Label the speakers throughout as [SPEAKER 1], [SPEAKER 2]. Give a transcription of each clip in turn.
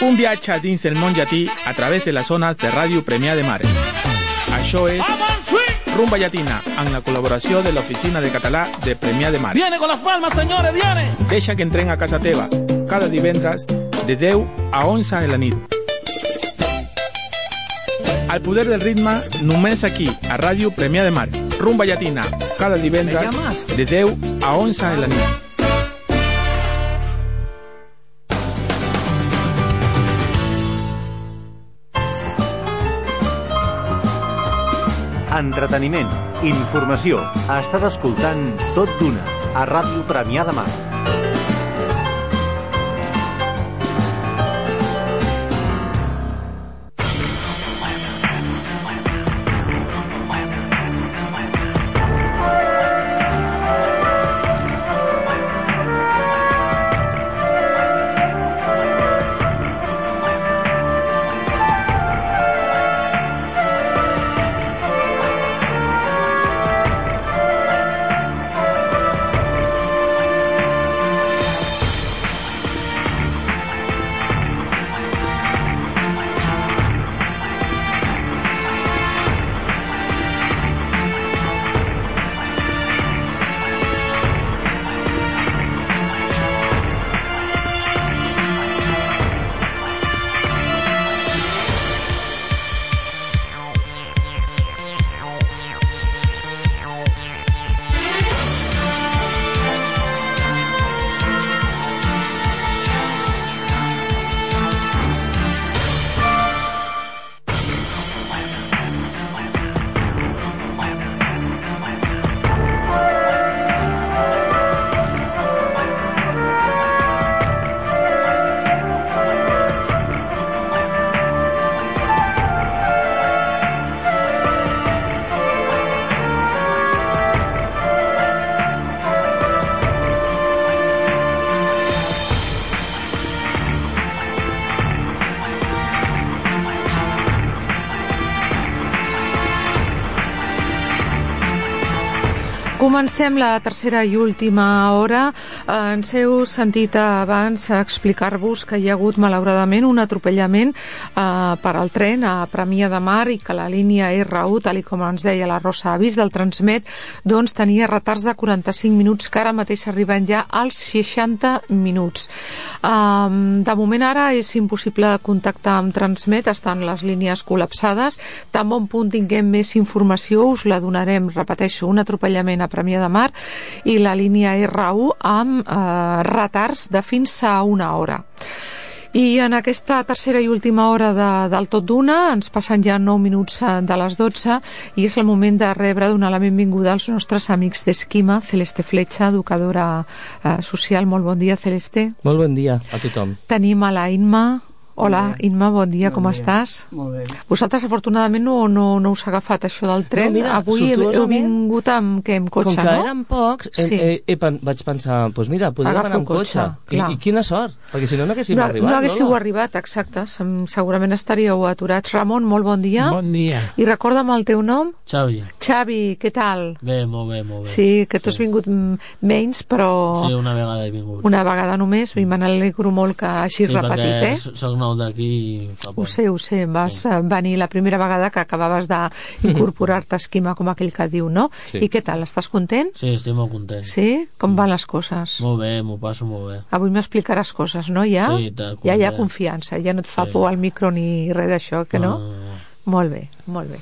[SPEAKER 1] Un viatge dins del món llatí a través de les zones de Ràdio Premià de Mar. Això és Rumba Llatina, amb la col·laboració de l'Oficina de Català de Premià de Mar.
[SPEAKER 2] Viene con las palmas, señores, viene!
[SPEAKER 1] Deixa que entrem a casa teva, cada divendres de 10 a 11 de la nit. El poder del ritme només aquí, a Ràdio Premià de Mar. Rumba Llatina, cada divendres de 10 a 11 de la nit.
[SPEAKER 3] Entreteniment, informació. Estàs escoltant Tot d'Una, a Ràdio Premià de Mar.
[SPEAKER 4] Comencem la tercera i última hora. Ens heu sentit abans explicar-vos que hi ha hagut malauradament un atropellament per al tren a Premià de Mar i que la línia R1, tal com ens deia la Rosa Avís del Transmet, doncs tenia retards de 45 minuts que ara mateix arriben ja als 60 minuts. De moment ara és impossible contactar amb Transmet, estan les línies col·lapsades. Tan bon punt tinguem més informació us la donarem. Repeteixo, un atropellament a Premià de Mar i la línia R1 amb retards de fins a una hora. I en aquesta tercera i última hora del Tot d'Una ens passen ja 9 minuts de les 12 i és el moment de rebre, donar la benvinguda als nostres amics d'Esquima, Celeste Fletxa, educadora social. Molt bon dia, Celeste.
[SPEAKER 5] Molt bon dia a tothom.
[SPEAKER 4] Tenim a la Inma. Hola, Inma, bon dia, com estàs?
[SPEAKER 6] Molt bé.
[SPEAKER 4] Vosaltres, afortunadament, no us ha agafat això del tren.
[SPEAKER 5] No, mira,
[SPEAKER 4] avui heu vingut amb cotxe, no?
[SPEAKER 5] Com que eren pocs, vaig pensar, doncs mira, podríem anar amb cotxe. I quina sort, perquè si no haguéssim arribat.
[SPEAKER 4] No haguéssiu arribat, exacte. Segurament estaríeu aturats. Ramon, molt bon dia.
[SPEAKER 6] Bon dia.
[SPEAKER 4] I recorda'm el teu nom.
[SPEAKER 6] Xavi.
[SPEAKER 4] Xavi, què tal?
[SPEAKER 6] Bé, molt bé, molt bé.
[SPEAKER 4] Sí, que tu has vingut menys, però...
[SPEAKER 6] Sí, una vegada he vingut.
[SPEAKER 4] Una vegada només, i me n'alegro molt que hagis repetit,
[SPEAKER 6] Sí, perquè soc nou d'aquí.
[SPEAKER 4] Ho sé, vas venir la primera vegada que acabaves d'incorporar-te a Esquima, com aquell que diu, no?
[SPEAKER 5] Sí.
[SPEAKER 4] I què tal, estàs content?
[SPEAKER 6] Sí, estic molt content.
[SPEAKER 4] Sí? Com van les coses?
[SPEAKER 6] Molt bé, m'ho passo molt bé.
[SPEAKER 4] Avui m'explicaràs coses, no? Ja?
[SPEAKER 6] Sí, tal,
[SPEAKER 4] ja hi ha confiança, ja no et fa por al micro ni res d'això, que no? Molt bé, molt bé.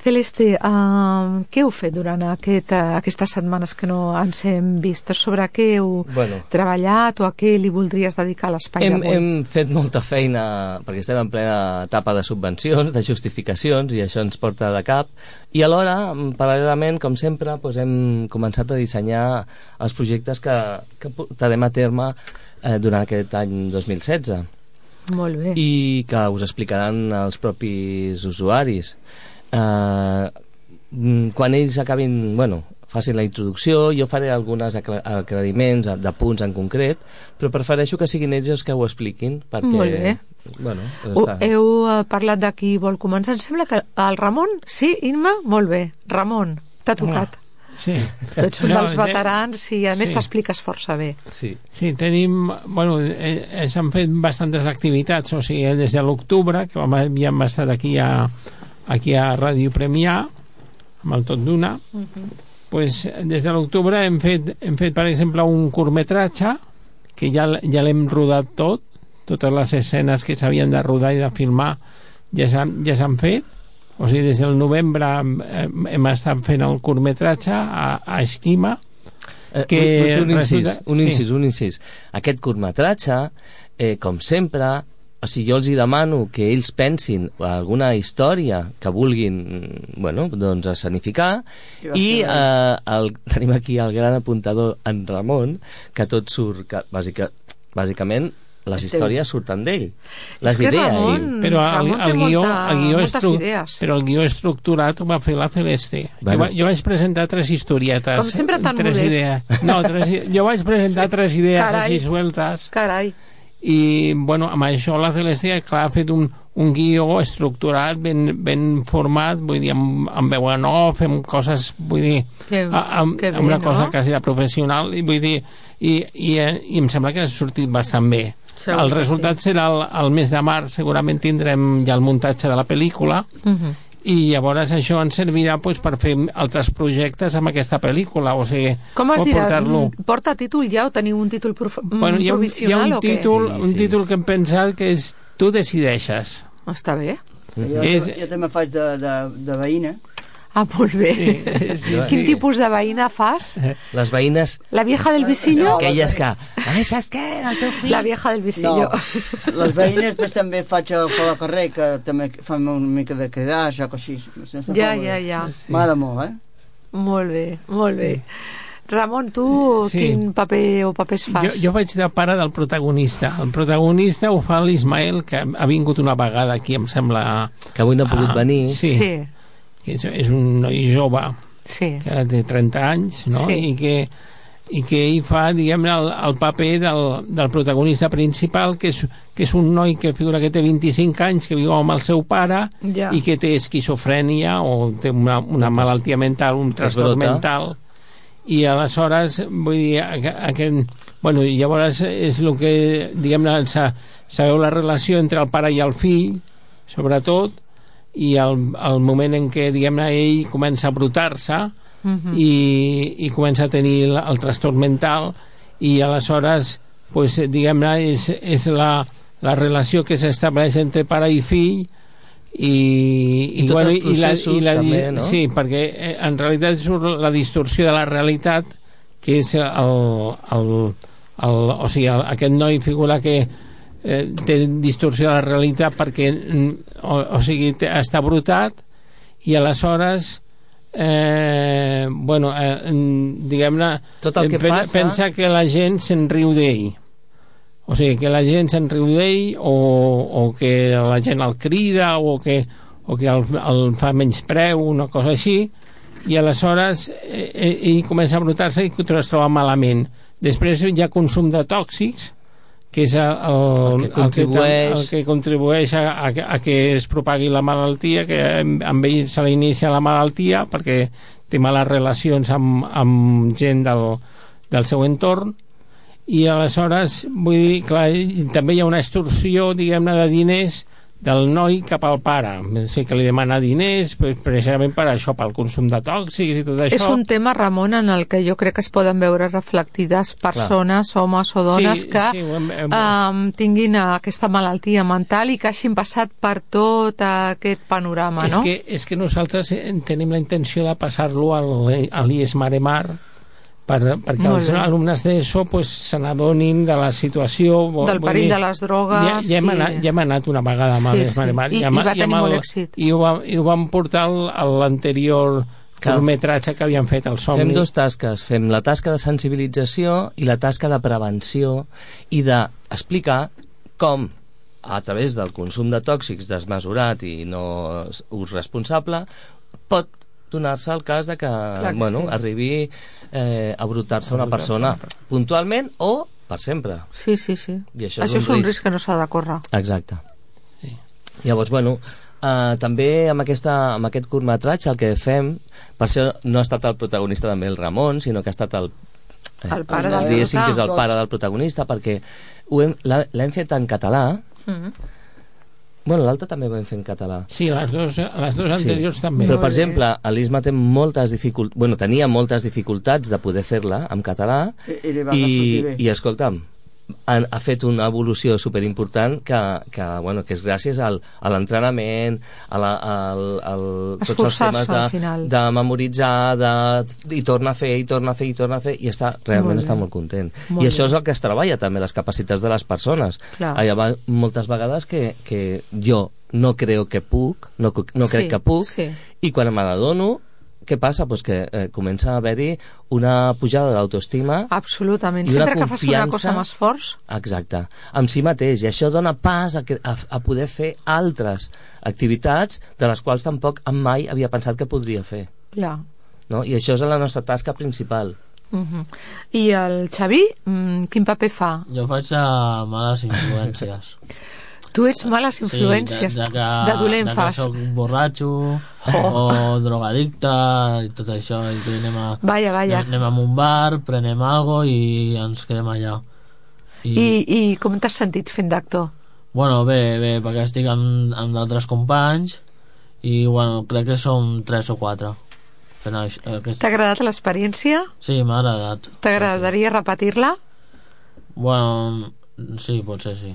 [SPEAKER 4] Celeste, què heu fet durant aquestes setmanes que no ens hem vist? Sobre què heu treballat o a què li voldries dedicar l'espai d'avui?
[SPEAKER 5] Hem fet molta feina perquè estem en plena etapa de subvencions, de justificacions, i això ens porta de cap. I alhora, paral·lelament, com sempre, hem començat a dissenyar els projectes que portarem a terme durant aquest any 2016.
[SPEAKER 4] Molt bé.
[SPEAKER 5] I que us explicaran els propis usuaris. Quan ells acabin, facin la introducció, jo faré alguns aclariments de punts en concret, però prefereixo que siguin ells els que ho expliquin, perquè...
[SPEAKER 4] Molt bé. Heu parlat de qui vol començar. Em sembla que el Ramon... Sí, Inma? Molt bé. Ramon, t'ha tocat.
[SPEAKER 2] Sí.
[SPEAKER 4] Tots són dels veterans i a més
[SPEAKER 2] sí.
[SPEAKER 4] t'expliques força bé.
[SPEAKER 5] Sí.
[SPEAKER 2] Sí, tenim... Bueno, s'han fet bastantes activitats, o sigui, des de l'octubre, que havíem estat aquí a Ràdio Premià, amb el Tot d'Una, pues, des de l'octubre hem fet, per exemple, un curtmetratge, que ja l'hem rodat totes les escenes que s'havien de rodar i de filmar ja s'han fet. O sigui, des del novembre hem estat fent el curtmetratge a Esquima, que
[SPEAKER 5] un incís. Aquest curtmetratge, com sempre, o sigui, jo els hi demano que ells pensin alguna història que vulguin, bueno, doncs escenificar, i tenim aquí el gran apuntador en Ramon, que tot surt, que bàsicament les històries surten d'ell, les idees.
[SPEAKER 2] Però el guió estructurat ho va fer la Celeste. Bueno. Jo vaig presentar 3 historietes.
[SPEAKER 4] Com sempre tan modest.
[SPEAKER 2] Jo vaig presentar 3 idees així sueltes.
[SPEAKER 4] Carai.
[SPEAKER 2] I, bueno, amb això la Celeste, clar, ha fet un guió estructurat, ben format, vull dir, amb veu en off, amb coses, vull dir, amb una cosa quasi de professional, i vull dir, i em sembla que ha sortit bastant bé. El resultat serà el mes de març, segurament tindrem ja el muntatge de la pel·lícula, i llavors això ens servirà per fer altres projectes amb aquesta pel·lícula, o sigui,
[SPEAKER 4] com es dirà? Porta títol ja o teniu un títol provisional?
[SPEAKER 2] Hi ha un títol que hem pensat que és Tu decideixes.
[SPEAKER 4] Està bé.
[SPEAKER 7] Jo també faig de veïna.
[SPEAKER 4] Ah, molt bé. Quin tipus de veïna fas?
[SPEAKER 5] Les veïnes...
[SPEAKER 4] La vieja del visillo?
[SPEAKER 5] Aquelles que... Ai, saps què? El teu fill...
[SPEAKER 4] La vieja del visillo.
[SPEAKER 7] No, les veïnes després també faig pel carrer, que també fan una mica de quedar, o així.
[SPEAKER 4] Ja.
[SPEAKER 7] M'agrada molt,
[SPEAKER 4] Molt bé. Ramon, tu quin paper o papers fas?
[SPEAKER 2] Jo faig de pare del protagonista. El protagonista ho fa l'Ismael, que ha vingut una vegada aquí, em sembla...
[SPEAKER 5] Que avui no ha pogut venir.
[SPEAKER 2] Sí. Que és un noi jove que ara té 30 anys, no? I que ell fa, diguem-ne, el paper del protagonista principal, que és un noi que figura que té 25 anys, que viu amb el seu pare i que té esquizofrènia o té una malaltia mental, un trastorn mental, i aleshores, vull dir, bueno, llavors és el que, diguem-ne, sabeu la relació entre el pare i el fill, sobretot, i el moment en què, diguem-ne, ell comença a brotar-se i comença a tenir el trastorn mental, i aleshores, pues, diguem-ne, és la relació que s'estableix entre pare i fill, i tots els processos també, no? Sí, perquè en realitat és la distorsió de la realitat, que és o sigui, aquest noi figura que té distorsió de la realitat perquè o sigui, està brotat, i aleshores diguem-ne, pensa que la gent se'n riu d'ell, o sigui, que la gent se'n riu d'ell o que la gent el crida o que el fa menyspreu, una cosa així, i aleshores ell comença a brotar-se i es troba malament. Després hi ha consum de tòxics, que és el que contribueix a que es propagui la malaltia, que amb ell se l'inicia la malaltia perquè té males relacions amb gent del seu entorn, i aleshores, vull dir, clar, també hi ha una extorsió, diguem-ne, de diners del noi cap al pare, o sigui, que li demana diners precisament per això, pel consum de tòxics i tot això.
[SPEAKER 4] És un tema, Ramon, en el que jo crec que es poden veure reflectides persones, homes o dones, que tinguin aquesta malaltia mental i que hagin passat per tot aquest panorama, no?
[SPEAKER 2] És que nosaltres tenim la intenció de passar-lo a l'IES Maremar, perquè els alumnes d'ESO se n'adonin de la situació,
[SPEAKER 4] del perill de les drogues.
[SPEAKER 2] Ja hem anat una vegada amb l'IES Maremar
[SPEAKER 4] i va tenir molt èxit,
[SPEAKER 2] i ho vam portar a l'anterior curtmetratge que havíem fet, el Somni.
[SPEAKER 5] Fem 2 tasques, fem la tasca de sensibilització i la tasca de prevenció, i d'explicar com a través del consum de tòxics desmesurat i no ús responsable pot donar-se el cas de que arribi a brotar-se una persona puntualment o per sempre.
[SPEAKER 4] Sí.
[SPEAKER 5] I això
[SPEAKER 4] és un risc que no s'ha de córrer.
[SPEAKER 5] Exacte. Llavors, També amb aquest curtmetratge el que fem, per això no ha estat el protagonista també el Ramon, sinó que ha estat el
[SPEAKER 4] pare del
[SPEAKER 5] diguéssim que és el pare del protagonista, perquè l'hem fet en català. Bueno, l'altre també ho vam fer en català.
[SPEAKER 2] Sí, les dos anteriors també.
[SPEAKER 5] Però, per exemple, l'Isma té tenia moltes dificultats de poder fer-la en català i escolta'm, ha fet una evolució superimportant que és gràcies a l'entrenament, a tots els temes de memoritzar, i torna a fer, i realment està molt content. I això és el que es treballa també, les capacitats de les persones. Hi ha moltes vegades que jo no crec que puc, i quan me n'adono, què passa? Pues que comença a haver-hi una pujada de l'autoestima.
[SPEAKER 4] Absolutament, sempre que fas una cosa amb esforç.
[SPEAKER 5] Exacte, amb si mateix, i això dona pas a poder fer altres activitats de les quals tampoc mai havia pensat que podria fer.
[SPEAKER 4] Clar.
[SPEAKER 5] No? I això és la nostra tasca principal.
[SPEAKER 4] I el Xavi, quin paper fa?
[SPEAKER 6] Jo faig males influències.
[SPEAKER 4] Tu ets males influències, de dolent fas.
[SPEAKER 6] De que soc borratxo o drogadicte i tot això, i que anem a un bar, prenem algo i ens quedem allà.
[SPEAKER 4] I com t'has sentit fent d'actor?
[SPEAKER 6] Bueno, bé, perquè estic amb d'altres companys i crec que som 3 o 4.
[SPEAKER 4] T'ha agradat l'experiència?
[SPEAKER 6] Sí, m'ha agradat.
[SPEAKER 4] T'agradaria repetir-la?
[SPEAKER 6] Bueno, sí, potser sí.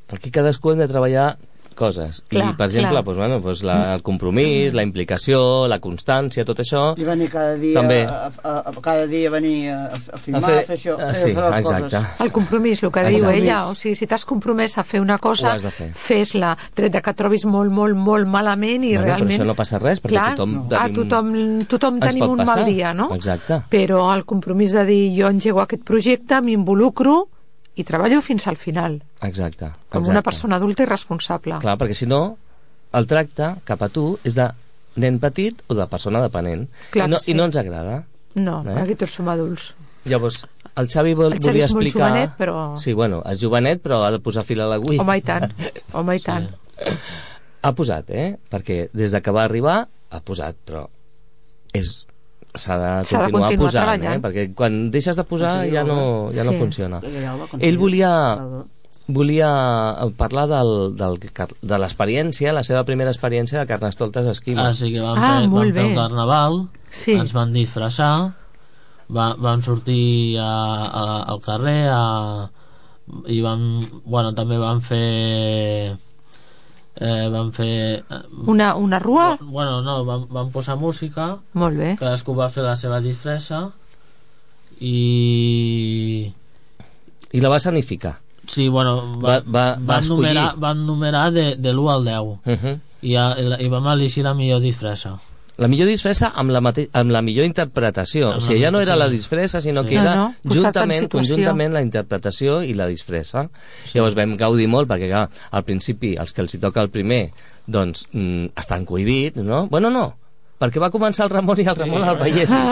[SPEAKER 5] Aquí cadascú hem de treballar coses. I, per exemple, el compromís, la implicació, la constància, tot això...
[SPEAKER 7] I venir cada dia venir a filmar, a fer això,
[SPEAKER 5] sí, exacte.
[SPEAKER 4] El compromís, el que diu ella, o sigui, si t'has compromès a fer una cosa, fes-la, tret que et trobis molt, molt, molt malament i realment...
[SPEAKER 5] Però això no passa res, perquè
[SPEAKER 4] tothom tenim un mal dia, no?
[SPEAKER 5] Exacte.
[SPEAKER 4] Però el compromís de dir, jo engego aquest projecte, m'involucro i treballo fins al final.
[SPEAKER 5] Exacte.
[SPEAKER 4] Com una persona adulta i responsable.
[SPEAKER 5] Clar, perquè si no, el tracte cap a tu és de nen petit o de persona dependent. I no ens agrada.
[SPEAKER 4] No, perquè tots som adults.
[SPEAKER 5] Llavors, el Xavi volia explicar...
[SPEAKER 4] El Xavi és molt jovenet, però...
[SPEAKER 5] Sí, és jovenet, però ha de posar fil a l'agulla.
[SPEAKER 4] Home, i tant.
[SPEAKER 5] Ha posat, perquè des que va arribar, ha posat, però s'ha de continuar posant, perquè quan deixes de posar ja no funciona. Ell volia parlar de l'experiència, la seva primera experiència de Carnestoltes Esquima.
[SPEAKER 6] Sí, que vam fer el carnaval, ens van disfressar, vam sortir al carrer i també vam fer
[SPEAKER 4] una rua?
[SPEAKER 6] Vam posar música.
[SPEAKER 4] Molt bé.
[SPEAKER 6] Cadascú va fer la seva disfressa i
[SPEAKER 5] la va sanificar.
[SPEAKER 6] Sí, van numerar de l'1 al 10 i vam elegir la millor disfressa.
[SPEAKER 5] La millor disfressa amb la millor interpretació. O sigui, ja no era la disfressa, sinó que era conjuntament la interpretació i la disfressa. Llavors vam gaudir molt, perquè al principi els que els hi toca el primer doncs estan cohibits, no? Bueno, no, perquè va començar el Ramon i el Ramon el veiessis.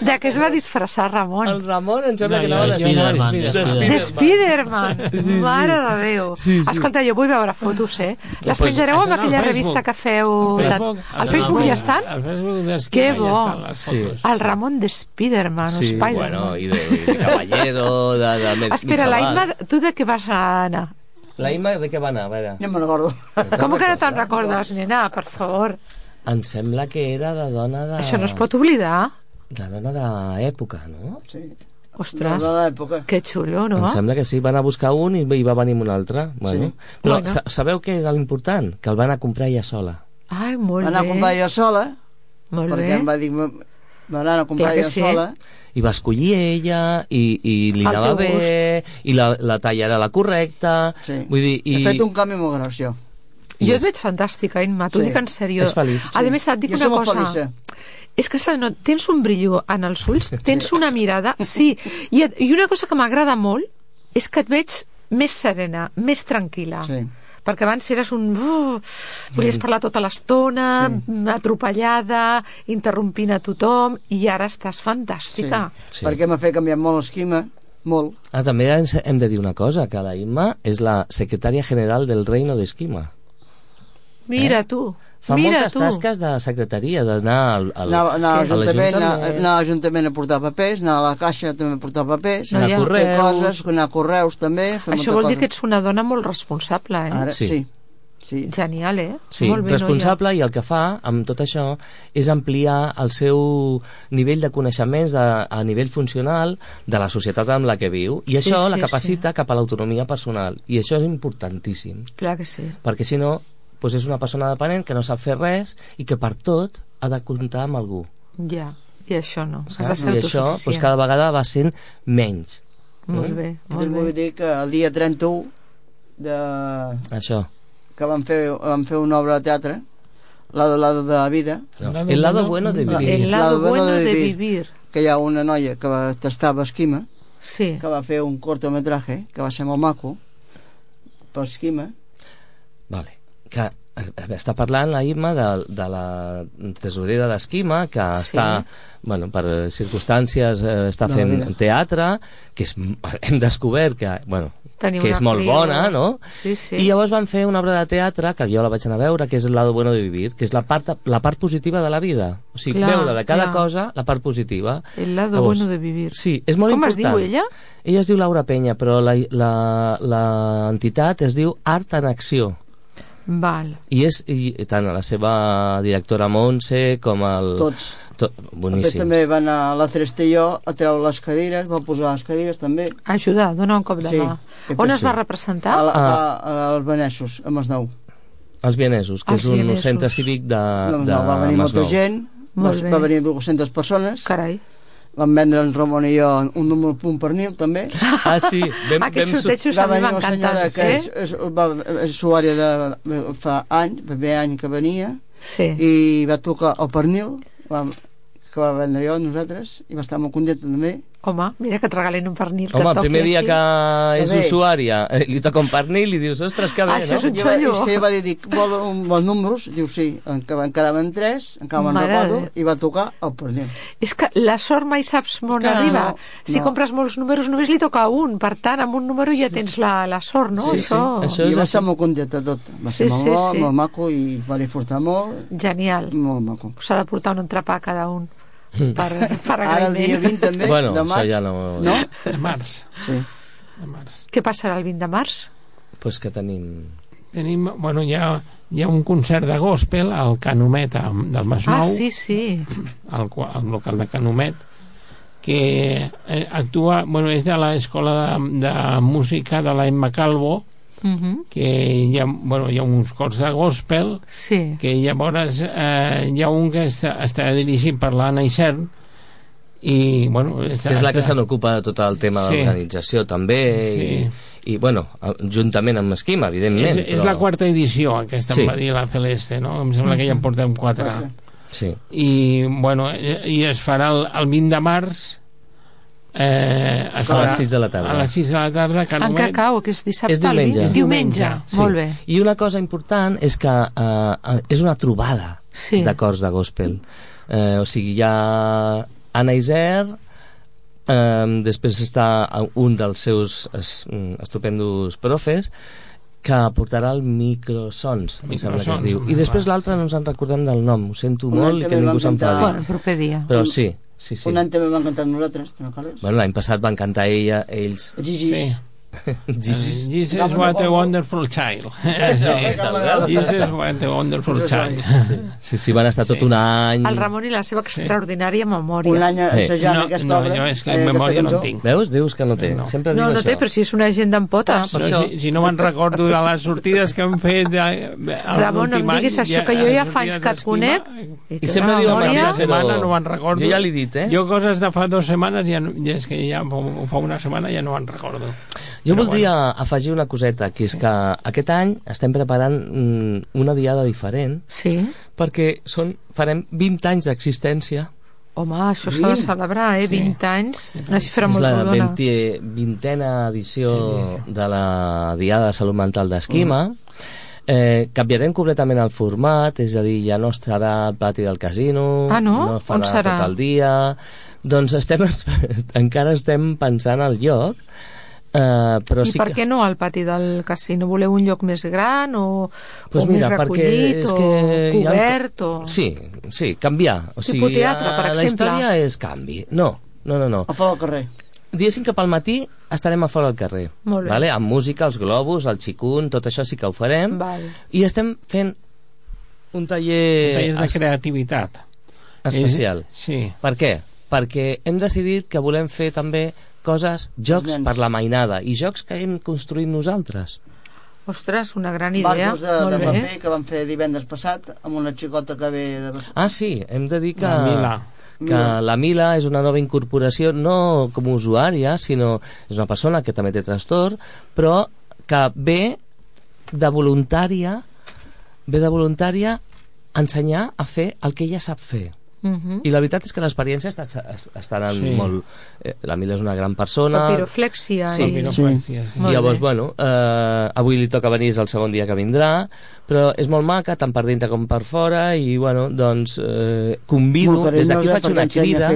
[SPEAKER 4] De què es va disfressar Ramon?
[SPEAKER 5] El Ramon em sembla que anava
[SPEAKER 4] de Spiderman. Mare de Déu. Escolta, jo vull veure fotos, les penjareu amb aquella revista que feu al Facebook ja estan?
[SPEAKER 2] Al Facebook
[SPEAKER 4] que bo. El Ramon de Spiderman o Spiderman.
[SPEAKER 5] I de Caballero, de
[SPEAKER 4] espera, la Imma, tu de què vas anar?
[SPEAKER 5] La Imma de què va anar?
[SPEAKER 7] Ja me'n recordo.
[SPEAKER 4] Com que no te'n recordes, nena? Per favor.
[SPEAKER 5] Em sembla que era de dona de...
[SPEAKER 4] Això no es pot oblidar.
[SPEAKER 5] De dona d'època, no?
[SPEAKER 7] Sí.
[SPEAKER 4] Ostres, que xulo, no?
[SPEAKER 5] Em sembla que sí, van a buscar un i va venir un altre. Bueno. Però sabeu què és l'important? Que el van a comprar ella sola.
[SPEAKER 4] Ai, molt bé.
[SPEAKER 7] Van a comprar ella sola, perquè em va dir, van a comprar ella sola.
[SPEAKER 5] I va escollir ella, i li anava bé, i la talla era la correcta. Vull dir,
[SPEAKER 7] he fet un canvi molt gran, això.
[SPEAKER 4] Jo et veig fantàstica, Imma, t'ho dic en sèrio.
[SPEAKER 5] És feliç.
[SPEAKER 4] A més, et dic una cosa. És que tens un brillo en els ulls, tens una mirada, sí. I una cosa que m'agrada molt és que et veig més serena, més tranquil·la. Sí. Perquè abans eres volies parlar tota l'estona, atropellada, interrompint a tothom, i ara estàs fantàstica.
[SPEAKER 7] Perquè m'ha fet canviar molt l'esquema. Molt.
[SPEAKER 5] També hem de dir una cosa, que la Imma és la secretària general del Reino de Esquima.
[SPEAKER 4] Mira tu.
[SPEAKER 5] Fa moltes tasques de secretaria, d'anar a l'Ajuntament.
[SPEAKER 7] Anar a l'Ajuntament a portar papers, anar a la caixa també a portar papers, anar a correus també.
[SPEAKER 4] Això vol dir que ets una dona molt responsable,
[SPEAKER 7] Ara, sí.
[SPEAKER 4] Genial,
[SPEAKER 5] Sí, responsable, i el que fa amb tot això és ampliar el seu nivell de coneixements a nivell funcional de la societat amb la que viu, i això la capacita cap a l'autonomia personal, i això és importantíssim.
[SPEAKER 4] Clar que sí.
[SPEAKER 5] Perquè si no, doncs és una persona dependent que no sap fer res i que per tot ha de comptar amb algú.
[SPEAKER 4] Ja, i això no.
[SPEAKER 5] Has de ser autosuficient. I això doncs, cada vegada va sent menys.
[SPEAKER 4] Molt bé, molt bé.
[SPEAKER 7] Vull dir que el dia 31
[SPEAKER 5] Això
[SPEAKER 7] que vam fer una obra de teatre, Lado de la vida.
[SPEAKER 5] El lado bueno de vivir.
[SPEAKER 4] El lado bueno de vivir.
[SPEAKER 7] Que hi ha una noia que va tastar esquima,
[SPEAKER 4] que
[SPEAKER 7] va fer un cortometraje que va ser molt maco per esquima.
[SPEAKER 5] Vale. Que està parlant la Imma de la tesorera d'Esquima, que està, per circumstàncies està fent teatre, que hem descobert que és molt bona, no?
[SPEAKER 4] Sí.
[SPEAKER 5] I llavors van fer una obra de teatre que jo la vaig anar a veure, que és el lado bueno de vivir, que és la part positiva de la vida, o sigui, veure de cada cosa la part positiva.
[SPEAKER 4] El lado bueno de vivir.
[SPEAKER 5] Sí, és molt important.
[SPEAKER 4] Com es diu ella?
[SPEAKER 5] Ella es diu Laura Penya, però l'entitat es diu Art en Acció.
[SPEAKER 4] Val.
[SPEAKER 5] I tant la seva directora Montse com el...
[SPEAKER 7] Tots.
[SPEAKER 5] Boníssims.
[SPEAKER 7] També van a la Cerestelló a treure les cadires, va posar les cadires també.
[SPEAKER 4] Ajudar, donar un cop de mà. On es va representar?
[SPEAKER 7] Als Benessos, a Masnou.
[SPEAKER 5] Els Vienesos, que és un centre cívic de Masnou.
[SPEAKER 7] Va venir molta gent, va venir 200 persones.
[SPEAKER 4] Carai.
[SPEAKER 7] Vam vendre en Ramon i jo un número punt pernil també.
[SPEAKER 5] Sí,
[SPEAKER 4] aquests sortejos a mi m'encanten.
[SPEAKER 7] Que és usuària de fa anys, el primer any que venia, i va tocar el pernil que va vendre jo nosaltres, i va estar molt contenta també.
[SPEAKER 4] Home, mira que et regalen un pernil que
[SPEAKER 5] toqui.
[SPEAKER 4] Home,
[SPEAKER 5] el primer dia que és usuària li toca un pernil i dius, ostres, que bé,
[SPEAKER 4] no? Això és un xollo.
[SPEAKER 7] És que va dir, vol números? Diu, sí, en quedaven 3, encara me'n recordo, i va tocar el pernil.
[SPEAKER 4] És que la sort mai saps on arriba. Si compres molts números només li toca un, per tant, amb un número ja tens la sort, no?
[SPEAKER 5] Sí.
[SPEAKER 7] I va estar molt contenta tot. Va ser molt maco i va disfrutar molt.
[SPEAKER 4] Genial.
[SPEAKER 7] Molt maco.
[SPEAKER 4] S'ha de portar un entrepà a cada un. Per agraïment.
[SPEAKER 7] Ara el dia 20 també, de maig.
[SPEAKER 5] Ja no...
[SPEAKER 2] De març.
[SPEAKER 7] Sí.
[SPEAKER 2] De març.
[SPEAKER 4] Què passarà el 20 de març?
[SPEAKER 5] Pues que tenim,
[SPEAKER 2] hi ha un concert de gospel al Canomet del Masnou.
[SPEAKER 4] Sí.
[SPEAKER 2] Al local de Canomet, que actua, és de l'escola de música de la Emma Calvo, que hi ha uns cors de gospel, que llavors hi ha un que està dirigit per l'Anna Isern, i
[SPEAKER 5] és la que se n'ocupa de tot el tema de l'organització també, i juntament amb Esquima, evidentment.
[SPEAKER 2] És la quarta edició aquesta, em va dir la Celeste, no? Em sembla que ja en portem 4. I es farà el 20 de març
[SPEAKER 5] a les 6 de la tarda.
[SPEAKER 2] A les 6 de la tarda,
[SPEAKER 4] en què cau? Que és dissabte?
[SPEAKER 5] És diumenge.
[SPEAKER 4] Diumenge. Molt bé.
[SPEAKER 5] I una cosa important és que és una trobada de cors de gospel. O sigui, hi ha Anna Iser, després està un dels seus estupendos profes, que portarà el Microsons, em sembla que es diu. I després l'altre no ens en recordem del nom, ho sento molt i que ningú s'enfadi.
[SPEAKER 4] El proper dia.
[SPEAKER 5] Però sí.
[SPEAKER 7] Un any també van cantar nosaltres, te'n recordes?
[SPEAKER 5] L'any passat van cantar ells.
[SPEAKER 7] Gigis.
[SPEAKER 2] Jesus, what a wonderful child. Jesus, what a wonderful child.
[SPEAKER 5] Sí, van estar tot un any.
[SPEAKER 4] El Ramon i la seva extraordinària memòria.
[SPEAKER 7] Un any assajant aquesta obra.
[SPEAKER 2] No, és que memòria no en tinc.
[SPEAKER 5] Veus? Dius que no té. Sempre diu això.
[SPEAKER 4] No té, però si és una agenda en potes.
[SPEAKER 2] Si no me'n recordo de les sortides que han fet
[SPEAKER 4] Ramon, no em diguis això, que jo ja fa anys que et conec
[SPEAKER 5] i sempre diu
[SPEAKER 2] una setmana, no me'n recordo.
[SPEAKER 5] Jo ja l'he dit,
[SPEAKER 2] Jo coses de fa 2 setmanes, és que ja fa una setmana ja no me'n recordo.
[SPEAKER 5] Jo voldria afegir una coseta, que és que aquest any estem preparant una diada diferent, perquè farem 20 anys d'existència.
[SPEAKER 4] Home, això s'ha de celebrar, 20 anys, una xifra molt rodona.
[SPEAKER 5] És la 20a edició de la Diada de Salut Mental d'Esquima. Canviarem completament el format, és a dir, ja no estarà al pati del casino, no farà tot el dia. Doncs encara estem pensant al lloc,
[SPEAKER 4] I per què no al pati del casino? Voleu un lloc més gran o més recollit o cobert?
[SPEAKER 5] Sí, canviar. O sigui,
[SPEAKER 4] teatre, per exemple.
[SPEAKER 5] La història és canvi. No.
[SPEAKER 7] A fora del carrer.
[SPEAKER 5] Diguéssim que pel matí estarem a fora del carrer.
[SPEAKER 4] Molt bé.
[SPEAKER 5] Vale? Amb música, els globus, el xicun, tot això sí que ho farem. I estem fent un taller
[SPEAKER 2] de creativitat
[SPEAKER 5] especial.
[SPEAKER 2] Sí.
[SPEAKER 5] Per què? Perquè hem decidit que volem fer també jocs per la mainada i jocs que hem construït nosaltres.
[SPEAKER 4] Ostres, una gran idea.
[SPEAKER 7] Barcos de paper que vam fer divendres passat amb una xicota que ve de...
[SPEAKER 5] Sí, hem de dir que la Mila és una nova incorporació, no com a usuària, sinó és una persona que també té trastorn, però que ve de voluntària ensenyar a fer el que ella sap fer. I la veritat és que l'experiència està anant molt... La Mila és una gran persona.
[SPEAKER 4] Papiroflèxia.
[SPEAKER 5] Sí. I llavors, avui li toca venir, és el segon dia que vindrà, però és molt maca, tant per dintre com per fora, i doncs convido, des d'aquí faig una crida...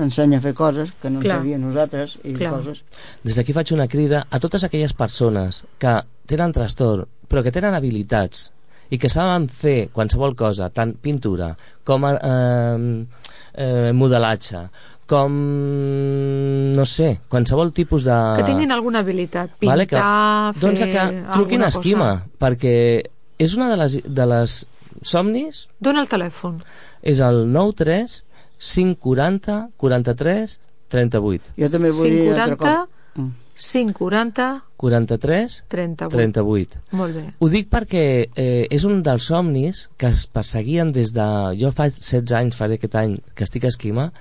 [SPEAKER 7] Ensenya a fer coses que no en sabia nosaltres, i coses...
[SPEAKER 5] Des d'aquí faig una crida a totes aquelles persones que tenen trastorn, però que tenen habilitats, i que saben fer qualsevol cosa, tant pintura com modelatge, com no sé, qualsevol tipus de...
[SPEAKER 4] Que tinguin alguna habilitat, pintar, fer
[SPEAKER 5] doncs que truquin a Esquima, perquè és una de les somnis...
[SPEAKER 4] Dóna el telèfon.
[SPEAKER 5] És el 93 540 43 38.
[SPEAKER 7] Jo també vull dir altra cosa.
[SPEAKER 4] 540
[SPEAKER 5] 43 38.
[SPEAKER 4] Molt bé.
[SPEAKER 5] Ho dic perquè és un dels somnis que es perseguien des de... Jo fa 16 anys, faré aquest any que estic a Esquima,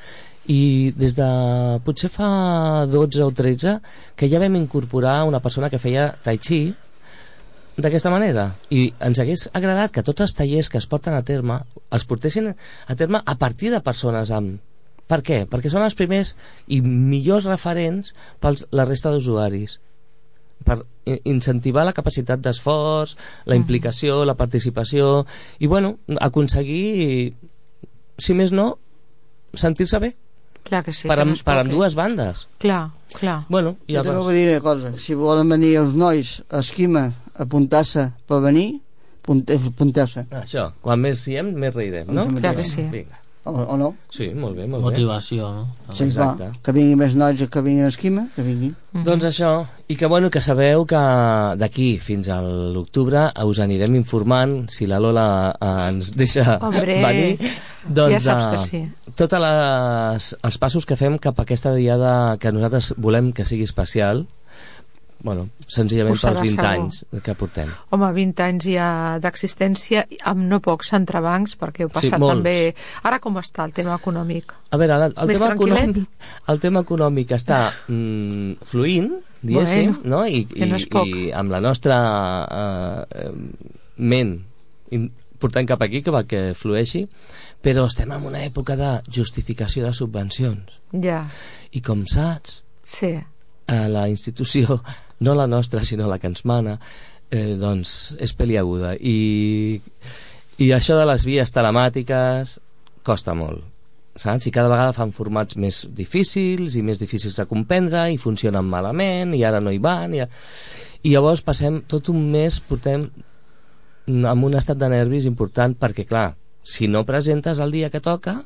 [SPEAKER 5] i des de potser fa 12 o 13 que ja vam incorporar una persona que feia tai chi d'aquesta manera, i ens hagués agradat que tots els tallers que es porten a terme els portessin a terme a partir de persones amb... Per què? Perquè són els primers i millors referents per la resta d'usuaris, per incentivar la capacitat d'esforç, la implicació, la participació, i aconseguir, si més no, sentir-se bé.
[SPEAKER 4] Clar que sí,
[SPEAKER 5] per ambdues bandes.
[SPEAKER 4] Clar.
[SPEAKER 7] Jo també vull dir una cosa, si volen venir els nois a Esquima a apuntar-se per venir, apunteu-se.
[SPEAKER 5] Això, quan més siguem, més reirem, no?
[SPEAKER 4] Clar que sí.
[SPEAKER 5] Vinga.
[SPEAKER 7] O no?
[SPEAKER 5] Sí, molt bé.
[SPEAKER 6] Motivació, no?
[SPEAKER 7] Sí, exacte. Que vinguin més nois que vinguin a Esquima, que vinguin.
[SPEAKER 5] Doncs això, i que sabeu que d'aquí fins a l'octubre us anirem informant, si la Lola ens deixa venir, doncs
[SPEAKER 4] ja saps que sí.
[SPEAKER 5] Tots els passos que fem cap a aquesta diada que nosaltres volem que sigui especial, senzillament pels 20 anys que portem.
[SPEAKER 4] Home, 20 anys ja d'existència amb no pocs entrebancs, perquè heu passat també... Ara com està el tema econòmic?
[SPEAKER 5] A veure, el tema econòmic està fluint, diguéssim, no? I amb la nostra ment portant cap aquí que flueixi, però estem en una època de justificació de subvencions.
[SPEAKER 4] Ja.
[SPEAKER 5] I com saps, la institució, no la nostra sinó la que ens mana, doncs és peliaguda, i això de les vies telemàtiques costa molt, saps? I cada vegada fan formats més difícils i més difícils de comprendre, i funcionen malament, i ara no hi van, i llavors passem tot un mes, portem amb un estat de nervis important, perquè clar, si no presentes el dia que toca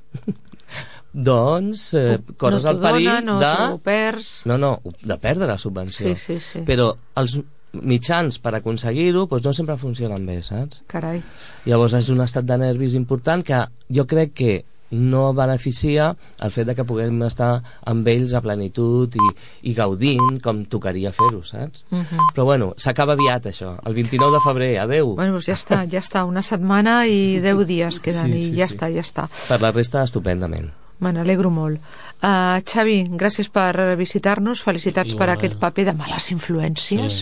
[SPEAKER 5] doncs corres el perill de perdre la subvenció.
[SPEAKER 4] Sí.
[SPEAKER 5] Però els mitjans per aconseguir-ho no sempre funcionen bé, saps?
[SPEAKER 4] Carai.
[SPEAKER 5] Llavors és un estat de nervis important que jo crec que no beneficia el fet de que puguem estar amb ells a plenitud i gaudint com tocaria fer-ho, saps? Però s'acaba aviat això, el 29 de febrer, adeu.
[SPEAKER 4] Ja està, una setmana i 10 dies queden, i ja està.
[SPEAKER 5] Per la resta, estupendament.
[SPEAKER 4] Me n'alegro molt. Xavi, gràcies per visitar-nos, felicitats per aquest paper de males influències,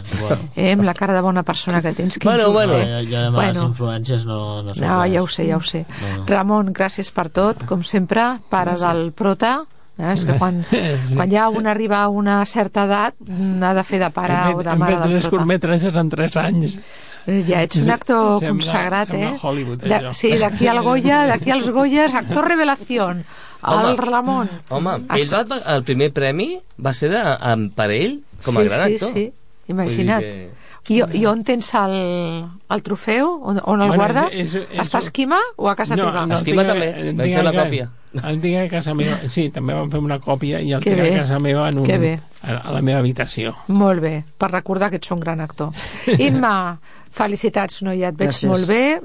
[SPEAKER 4] amb la cara de bona persona que tens.
[SPEAKER 6] Jo de males influències no sé.
[SPEAKER 4] No, ja ho sé. Ramon, gràcies per tot, com sempre, pare del prota. És que quan ja un arriba a una certa edat ha de fer de pare o de mare del prota.
[SPEAKER 2] Hem fet 3 curtmetratges en 3 anys.
[SPEAKER 4] Ja ets un actor consagrat,
[SPEAKER 2] Hollywood,
[SPEAKER 4] sí, d'aquí al Goya, d'aquí als Goyes, actor revelación, el Ramon.
[SPEAKER 5] Home, el primer premi va ser per ell, com a gran actor.
[SPEAKER 4] Sí, imagina't. I on tens el trofeu? On el guardes? Està a Esquima o a casa teva?
[SPEAKER 5] A Esquima també, vam fer la còpia.
[SPEAKER 2] El tinc a casa meva, sí, també vam fer una còpia i el tinc a casa meva a la meva habitació.
[SPEAKER 4] Molt bé, per recordar que ets un gran actor. Imma, felicitats, noia, et veig molt bé.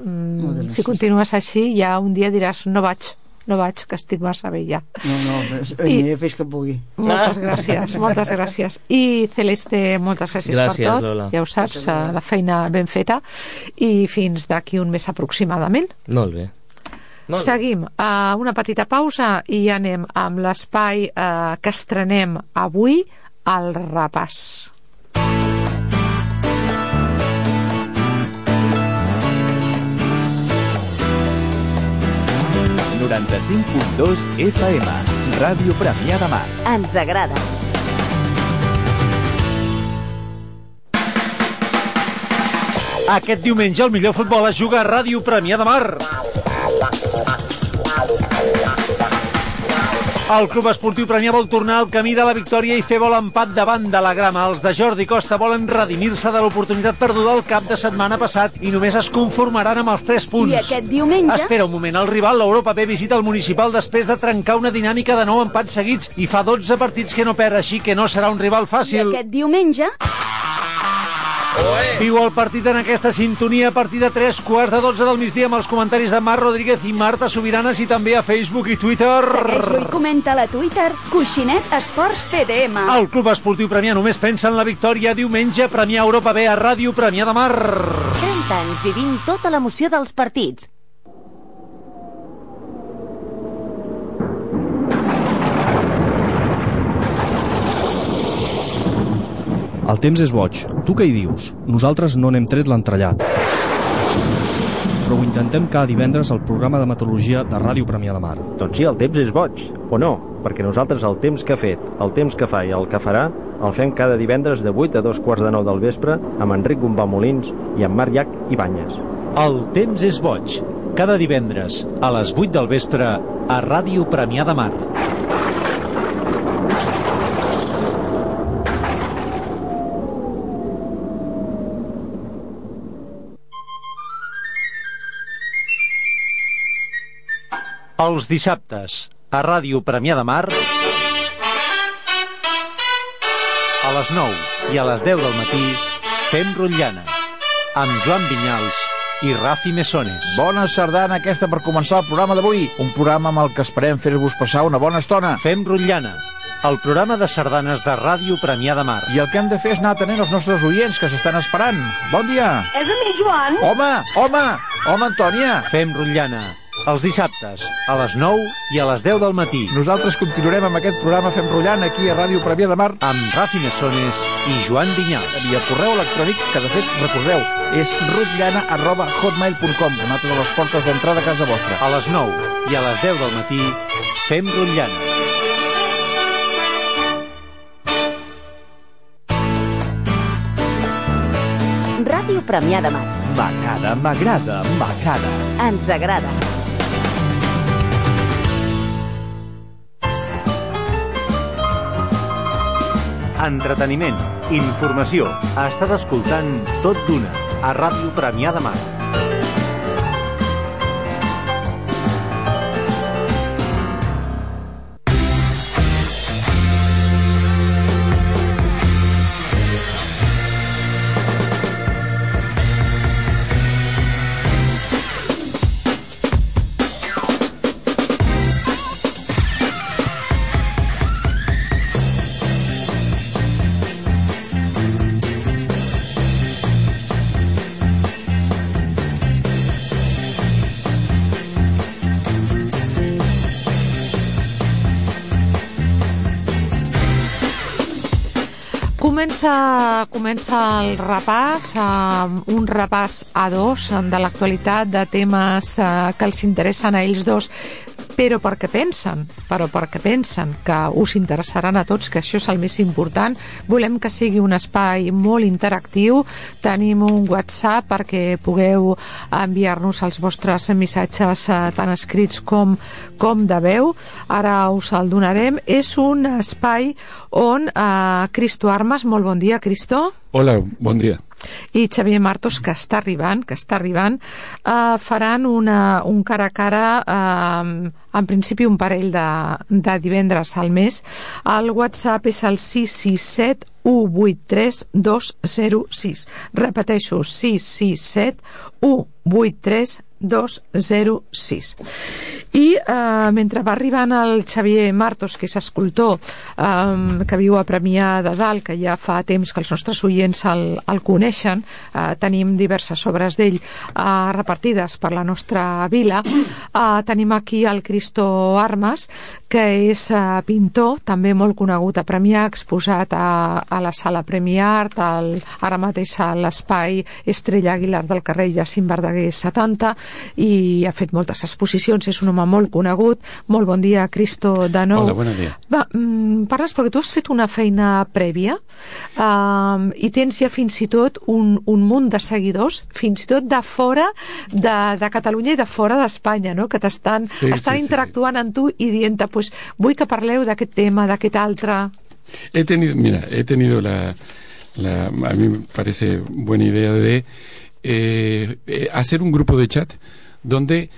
[SPEAKER 4] Si continues així, ja un dia diràs no vaig, que estic massa vella.
[SPEAKER 7] No, aniré fins que pugui.
[SPEAKER 4] Moltes gràcies. I Celeste, moltes gràcies per tot.
[SPEAKER 5] Lola.
[SPEAKER 4] Ja ho saps, la feina ben feta. I fins d'aquí un mes aproximadament.
[SPEAKER 5] Molt bé.
[SPEAKER 4] Seguim a una petita pausa i ja anem amb l'espai que estrenem avui, el repàs.
[SPEAKER 3] ...95.2 FM, Ràdio Premià de Mar.
[SPEAKER 8] Ens agrada.
[SPEAKER 3] Aquest diumenge el millor futbol es juga a Ràdio Premià de Mar. El Club Esportiu Premià vol tornar al camí de la victòria i fer vol empat davant de la Grama. Els de Jordi Costa volen redimir-se de l'oportunitat perduda el cap de setmana passat i només es conformaran amb els 3 punts.
[SPEAKER 8] I aquest diumenge...
[SPEAKER 3] Espera un moment, el rival, l'Europa B, visita el Municipal després de trencar una dinàmica de 9 empats seguits i fa 12 partits que no perd, així que no serà un rival fàcil.
[SPEAKER 8] I aquest diumenge...
[SPEAKER 3] Viu el partit en aquesta sintonia a partir de 3:15 del migdia amb els comentaris de Marc Rodríguez i Marta Subiranes i també a Facebook i Twitter.
[SPEAKER 8] Segueix-lo i comenta a Twitter Coixinet Esports PDM.
[SPEAKER 3] El Club Esportiu Premià només pensa en la victòria. Diumenge, Premià Europa B a Ràdio Premià de Mar.
[SPEAKER 8] 30 anys vivint tota l'emoció dels partits.
[SPEAKER 9] El temps és boig. Tu què hi dius? Nosaltres no n'hem tret l'entrellat. Però ho intentem cada divendres al programa de meteorologia de Ràdio Premià de Mar.
[SPEAKER 10] Doncs sí, el temps és boig, o no? Perquè nosaltres el temps que ha fet, el temps que fa i el que farà el fem cada divendres de 8 a 2:15 del vespre amb Enric Gombà Molins i amb Marc Llach Ibáñez.
[SPEAKER 3] El temps és boig. Cada divendres a les 8 del vespre a Ràdio Premià de Mar. Els dissabtes, a Ràdio Premià de Mar, a les 9 i a les 10 del matí, fem Rotllana, amb Joan Vinyals i Rafi Mesones.
[SPEAKER 11] Bona sardana aquesta per començar el programa d'avui, un programa amb el que esperem fer-vos passar una bona estona.
[SPEAKER 3] Fem Rotllana, el programa de sardanes de Ràdio Premià de Mar.
[SPEAKER 11] I el que hem de fer és anar atenent els nostres oients que s'estan esperant. Bon dia.
[SPEAKER 12] És a mi, Joan?
[SPEAKER 11] Home, Antònia.
[SPEAKER 3] Fem Rotllana, els dissabtes, a les 9 i a les 10 del matí.
[SPEAKER 11] Nosaltres continuarem amb aquest programa Fem Rotllana aquí a Ràdio Premià de Mar
[SPEAKER 3] amb Rafi Mesones i Joan Vinyals.
[SPEAKER 11] I el correu electrònic, que de fet, recordeu, és rotllana@hotmail.com, una altra de les portes d'entrada a casa vostra.
[SPEAKER 3] A les 9 i a les 10 del matí, Fem Rotllana.
[SPEAKER 8] Ràdio Premià de Mar.
[SPEAKER 3] M'agrada.
[SPEAKER 8] Ens agrada.
[SPEAKER 3] Entreteniment, informació. Estàs escoltant Tot d'Una a Ràdio Premià de Mar.
[SPEAKER 4] Comença el repàs, un repàs a dos de l'actualitat, de temes que els interessen a ells dos. però perquè pensen que us interessaran a tots, que això és el més important. Volem que sigui un espai molt interactiu. Tenim un WhatsApp perquè pugueu enviar-nos els vostres missatges tant escrits com de veu. Ara us el donarem. És un espai on Cristo Armas, molt bon dia, Cristo.
[SPEAKER 12] Hola, bon dia.
[SPEAKER 4] I Xavier Martos, que està arribant, faran un cara a cara, en principi un parell de divendres al mes. El WhatsApp és el 667 183 206. Repeteixo, 667 183 206. I mentre va arribant el Xavier Martos, que és escultor, que viu a Premià de Dalt, que ja fa temps que els nostres oients el coneixen, tenim diverses obres d'ell repartides per la nostra vila. Tenim aquí el Cristo Armas, que és pintor, també molt conegut a Premià, exposat a la Sala Premiart, ara mateix a l'espai Estrella Aguilar del carrer Jacint Verdaguer 70, i ha fet moltes exposicions, és un home molt conegut. Molt bon dia, Cristo, de nou.
[SPEAKER 12] Hola, bon dia.
[SPEAKER 4] Parles perquè tu has fet una feina prèvia i tens ja fins i tot un munt de seguidors, fins i tot de fora de Catalunya i de fora d'Espanya, no? Que estan interactuant amb tu i dient-te, pues, vull que parleu d'aquest tema, d'aquest altre.
[SPEAKER 12] He tenido a mí me parece buena idea de hacer un grupo de chat donde,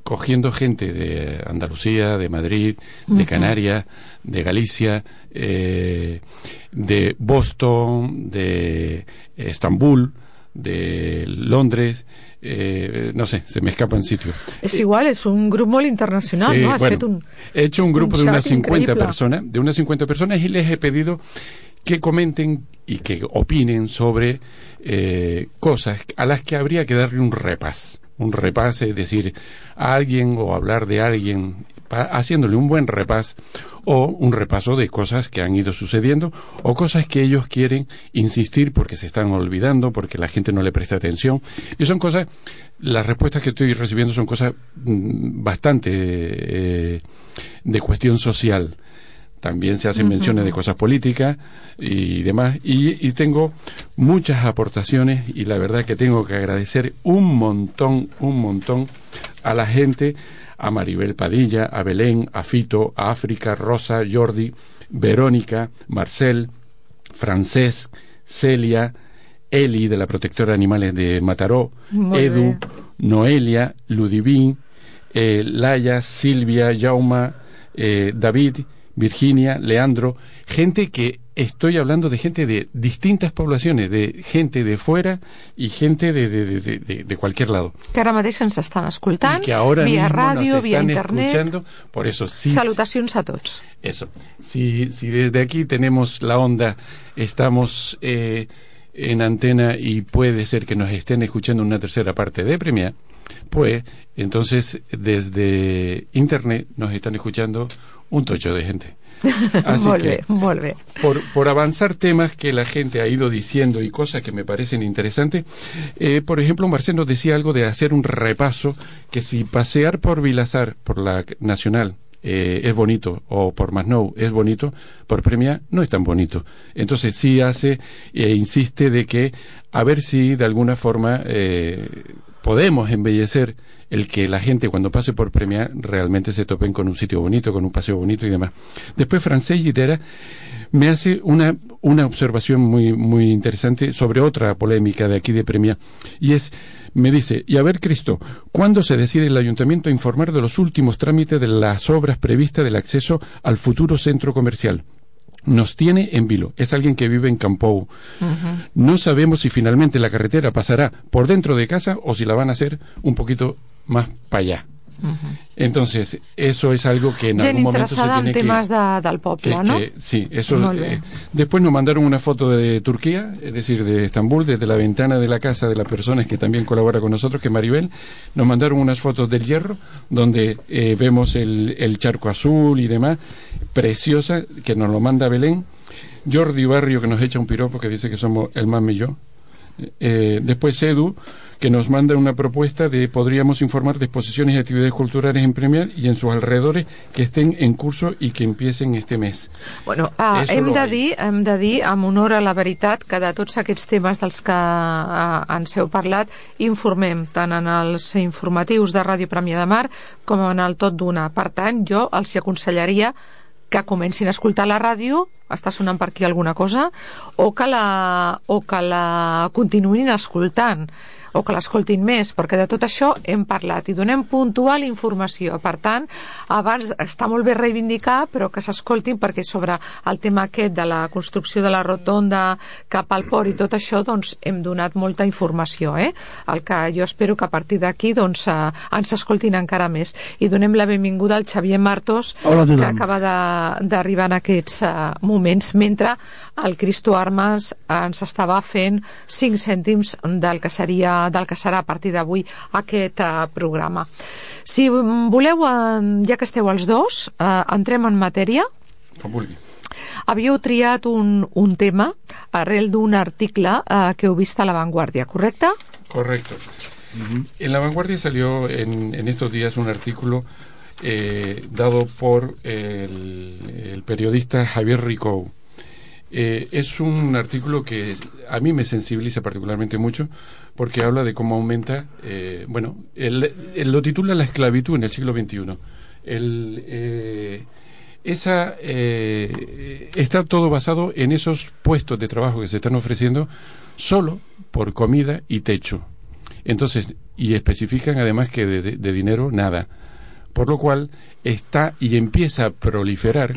[SPEAKER 12] cogiendo gente de Andalucía, de Madrid, de Canarias, de Galicia, de Boston, de Estambul, de Londres, no sé, se me escapan sitios.
[SPEAKER 4] Es igual, es un grupo muy internacional,
[SPEAKER 12] sí,
[SPEAKER 4] ¿no?
[SPEAKER 12] He hecho un grupo de unas 50 personas, y les he pedido que comenten y que opinen sobre cosas a las que habría que darle un repaso, es decir, a alguien o hablar de alguien, haciéndole un buen repaso, o un repaso de cosas que han ido sucediendo, o cosas que ellos quieren insistir porque se están olvidando, porque la gente no le presta atención. Y son cosas, las respuestas que estoy recibiendo son cosas bastante de cuestión social. También se hacen menciones de cosas políticas y demás, y tengo muchas aportaciones, y la verdad que tengo que agradecer un montón a la gente, a Maribel Padilla, a Belén, a Fito, a África, Rosa, Jordi, Verónica, Marcel, Francesc, Celia, Eli de la Protectora de Animales de Mataró, Edu, Noelia, Ludivín, Laia, Silvia, Jauma, David, Virginia, Leandro, gente que estoy hablando de gente de distintas poblaciones, de gente de fuera y gente de cualquier lado.
[SPEAKER 4] Que ara mateix ens estan escoltant,
[SPEAKER 12] que ahora
[SPEAKER 4] via
[SPEAKER 12] ràdio,
[SPEAKER 4] via internet.
[SPEAKER 12] Escuchando, por eso, sí,
[SPEAKER 4] salutacions a tots.
[SPEAKER 12] Eso. Si desde aquí tenemos la onda, estamos en antena y puede ser que nos estén escuchando una tercera parte de Premià, pues entonces desde internet nos están escuchando un tocho de gente. Así que por avanzar temas que la gente ha ido diciendo y cosas que me parecen interesantes, por ejemplo, Marcel nos decía algo de hacer un repaso, que si pasear por Vilasar, por la Nacional, es bonito, o por Masnou es bonito, por Premià no es tan bonito. Entonces sí hace insiste de que a ver si de alguna forma podemos embellecer el que la gente cuando pase por Premià realmente se topen con un sitio bonito, con un paseo bonito y demás. Después Francesc Llitera me hace una observación muy interesante sobre otra polémica de aquí de Premià, y me dice, y a ver, Cristo, ¿cuándo se decide el Ayuntamiento a informar de los últimos trámites de las obras previstas del acceso al futuro centro comercial? Nos tiene en vilo. Es alguien que vive en Campou. No sabemos si finalmente la carretera pasará por dentro de casa o si la van a hacer un poquito más para allá. Entonces, eso es algo que en algún momento se tiene que...
[SPEAKER 4] temas del poble, ¿no?
[SPEAKER 12] Sí, eso... después nos mandaron una foto de Turquía, es decir, de Estambul, desde la ventana de la casa de las personas que también colabora con nosotros, que es Maribel. Nos mandaron unas fotos del Hierro, donde vemos el charco azul y demás, preciosa, que nos lo manda Belén. Jordi Barrio, que nos echa un piropo, que dice que somos el más millón. Después Edu, que nos manda una propuesta de podríamos informar de exposiciones y actividades culturales en Premià i en sus alrededores que estén en curso i que empiecen este mes.
[SPEAKER 4] Bueno, hem de dir, amb honor a la veritat, que de tots aquests temes dels que ens heu parlat, informem tant en els informatius de Ràdio Premià de Mar com en el Tot d'Una. Per tant, jo els aconsellaria que comencin a escoltar la ràdio, està sonant per aquí alguna cosa, o que la continuïn escoltant, o que l'escoltin més, perquè de tot això hem parlat i donem puntual informació. Per tant, abans està molt bé reivindicar, però que s'escoltin, perquè sobre el tema aquest de la construcció de la rotonda cap al port i tot això, doncs hem donat molta informació, El que jo espero que a partir d'aquí doncs ens escoltin encara més. I donem la benvinguda al Xavier Martos, que acaba d'arribar en aquests moments, mentre el Cristo Armas ens estava fent 5 cèntims del que serà a partir d'avui aquest programa. Si voleu, ja que esteu els dos, entrem en matèria.
[SPEAKER 12] Com vulgui.
[SPEAKER 4] Havíeu triat un tema arrel d'un article que heu vist a La Vanguardia, ¿correcte?
[SPEAKER 12] Correcto. En La Vanguardia salió en estos días un artículo dado por el periodista Javier Ricou. Es un artículo que a mí me sensibiliza particularmente mucho porque habla de cómo aumenta, él lo titula La esclavitud en el siglo XXI. Está todo basado en esos puestos de trabajo que se están ofreciendo solo por comida y techo. Entonces, y especifican además que de dinero nada. Por lo cual está y empieza a proliferar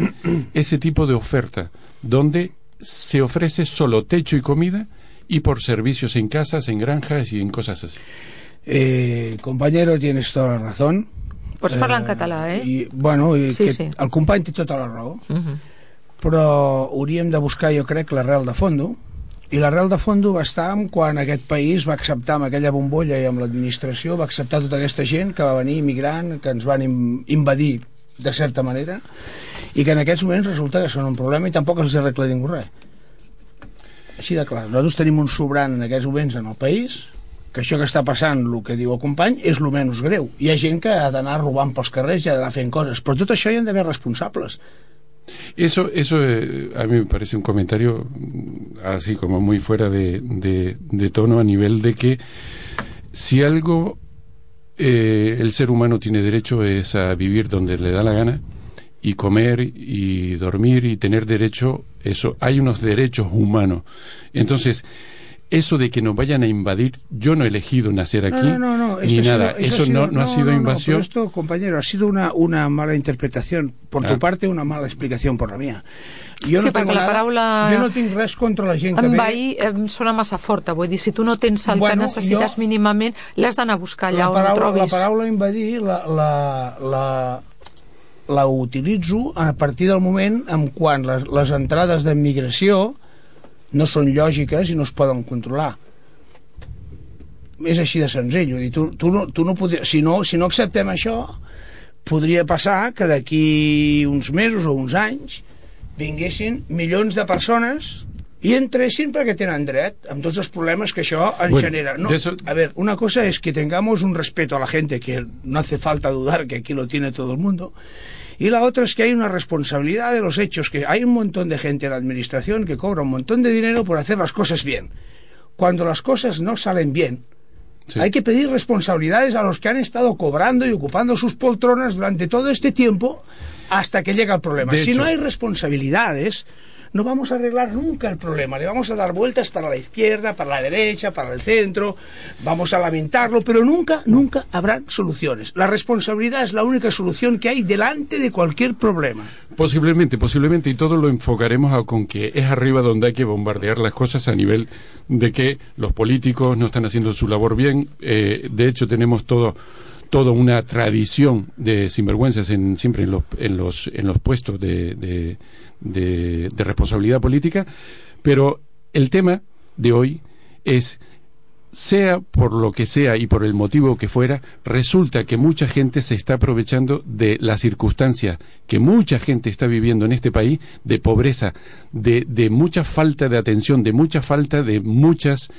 [SPEAKER 12] ese tipo de oferta donde se ofrece solo techo y comida y por servicios en casas, en granjas y en cosas así.
[SPEAKER 13] Compañero, tienes toda la razón.
[SPEAKER 4] Pots parlar en català,
[SPEAKER 13] sí. El company té tota la raó, però hauríem de buscar, jo crec, l'arrel de fondo, i l'arrel de fondo va estar quan aquest país va acceptar amb aquella bombolla i amb l'administració, va acceptar tota aquesta gent que va venir immigrant, que ens van invadir de certa manera, i que en aquests moments resulta que són un problema i tampoc els arregla ningú res. Així de clar, nosaltres tenim un sobrant en aquests moments en el país, que això que està passant, el que diu el company, és el menys greu. Hi ha gent que ha d'anar robant pels carrers i ha d'anar fent coses, però tot això hi han d'haver responsables.
[SPEAKER 12] Eso a mí me parece un comentario así como muy fuera de tono, a nivel de que si algo el ser humano tiene derecho es a vivir donde le da la gana y comer y dormir y tener derecho, eso, hay unos derechos humanos. Entonces, eso de que nos vayan a invadir, yo no he elegido nacer aquí, ni nada, eso no ha sido invasión.
[SPEAKER 13] Pero esto, compañero, ha sido una mala interpretación por tu parte, una mala explicación por la mía. Jo no tinc la paraula... Jo no tinc res contra la gent que ve...
[SPEAKER 4] Envair sona massa forta, vull dir, si tu no tens el que necessites mínimament, l'has d'anar a buscar allà on ho trobis.
[SPEAKER 13] La paraula invadir la utilitzo a partir del moment en quan les entrades d'immigració no són lògiques i no es poden controlar. És així de senzill. Vull dir, tu no podries, si no acceptem això, podria passar que d'aquí uns mesos o uns anys vinguessin milions de persones i entressin perquè tenen dret, amb tots els problemes que això ens genera. No, a ver, una cosa es que tengamos un respeto a la gente, que no hace falta dudar que aquí lo tiene todo el mundo, y la otra es que hay una responsabilidad de los hechos, que hay un montón de gente en la administración que cobra un montón de dinero por hacer las cosas bien. Cuando las cosas no salen bien, hay que pedir responsabilidades a los que han estado cobrando y ocupando sus poltronas durante todo este tiempo hasta que llega el problema. Si no hay responsabilidades, no vamos a arreglar nunca el problema. Le vamos a dar vueltas para la izquierda, para la derecha, para el centro, vamos a lamentarlo, pero nunca habrán soluciones. La responsabilidad es la única solución que hay delante de cualquier problema.
[SPEAKER 12] Posiblemente, y todo lo enfocaremos con que es arriba donde hay que bombardear las cosas, a nivel de que los políticos no están haciendo su labor bien. De hecho, tenemos toda una tradición de sinvergüenzas siempre en los puestos de responsabilidad política, pero el tema de hoy es, sea por lo que sea y por el motivo que fuera, resulta que mucha gente se está aprovechando de las circunstancias que mucha gente está viviendo en este país, de pobreza, de mucha falta de atención, de mucha falta de muchas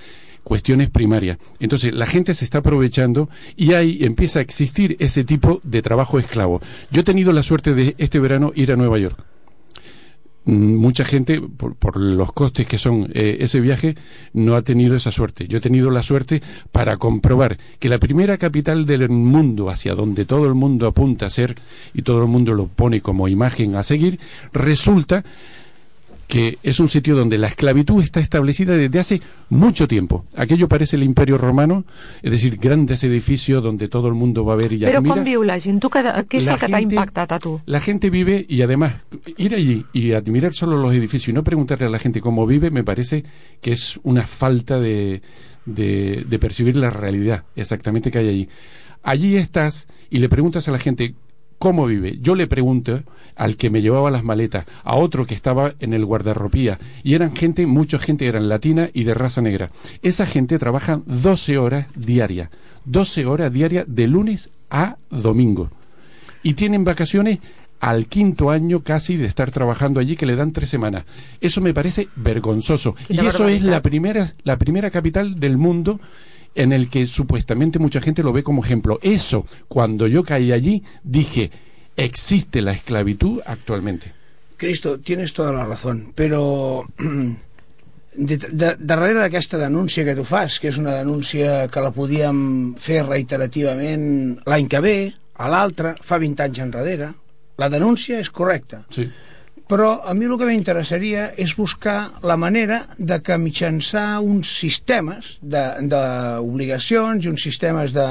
[SPEAKER 12] cuestiones primarias. Entonces la gente se está aprovechando y ahí empieza a existir ese tipo de trabajo esclavo. Yo he tenido la suerte de este verano ir a Nueva York. Mucha gente, por los costes que son ese viaje, no ha tenido esa suerte. Yo he tenido la suerte para comprobar que la primera capital del mundo, hacia donde todo el mundo apunta a ser y todo el mundo lo pone como imagen a seguir, resulta que es un sitio donde la esclavitud está establecida desde hace mucho tiempo. Aquello parece el Imperio Romano, es decir, grandes edificios donde todo el mundo va a ver y admira.
[SPEAKER 4] Però com viu la gent? Què és el que t'ha impactat a tu?
[SPEAKER 12] La gente vive, y además ir allí y admirar solo los edificios y no preguntarle a la gente cómo vive, me parece que es una falta de percibir la realidad exactamente que hay allí. Allí estás y le preguntas a la gente ¿cómo vive? Yo le pregunto al que me llevaba las maletas, a otro que estaba en el guardarropía, y eran gente, mucha gente eran latina y de raza negra. Esa gente trabaja 12 horas diarias de lunes a domingo. Y tienen vacaciones al quinto año casi de estar trabajando allí, que le dan 3 semanas. Eso me parece vergonzoso. Y eso es la primera capital del mundo en el que supuestamente mucha gente lo ve como ejemplo. Eso, cuando yo caí allí, dije, existe la esclavitud actualmente.
[SPEAKER 13] Cristo, tienes toda la razón, però darrere d'aquesta denúncia que tu fas, que és una denúncia que la podíem fer reiterativament l'any que ve, a l'altre, fa 20 anys enrere, la denúncia és correcta.
[SPEAKER 12] Sí.
[SPEAKER 13] Però a mi el que m'interessaria és buscar la manera de que mitjançar uns sistemes d'obligacions i uns sistemes de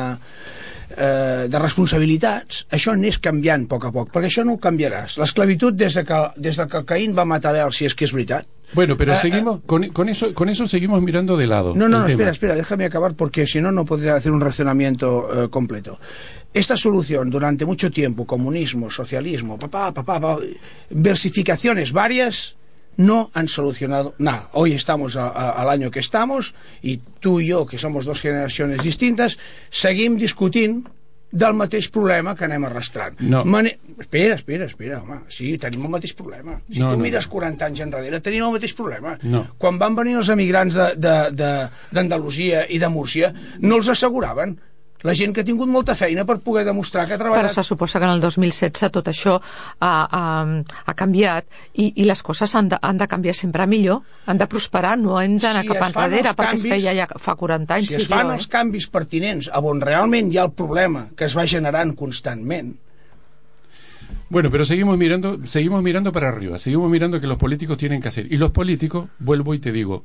[SPEAKER 13] responsabilitats, això anés canviant a poc, perquè això no ho canviaràs. L'esclavitud des que Caín va matar Abel, si és que és veritat.
[SPEAKER 12] Bueno, pero seguimos con eso seguimos mirando de lado.
[SPEAKER 13] No, espera, déjame acabar porque si no, no podría hacer un razonamiento completo. Esta solución durante mucho tiempo, comunismo, socialismo, versificaciones varias, no han solucionado nada. Hoy estamos al año que estamos y tú y yo, que somos 2 generaciones distintas, seguim discutint del mateix problema que anem arrastrant.
[SPEAKER 12] No.
[SPEAKER 13] Espera, home. Sí, tenim el mateix problema. Si tu mires 40 anys enrere, tenim el mateix problema.
[SPEAKER 12] No.
[SPEAKER 13] Quan van venir els emigrants d'Andalusia i de Múrcia, no els asseguraven. La gent que ha tingut molta feina per poder demostrar que ha treballat...
[SPEAKER 4] Però se suposa que en el 2016 tot això ha canviat i les coses han de canviar sempre a millor, han de prosperar, no hem d'anar cap enrere, perquè es feia ja fa 40 anys.
[SPEAKER 13] Si es fan els canvis pertinents a on realment hi ha el problema que es va generant constantment...
[SPEAKER 12] Bueno, pero seguimos mirando para arriba, seguimos mirando que los políticos tienen que hacer. Y los políticos, vuelvo y te digo,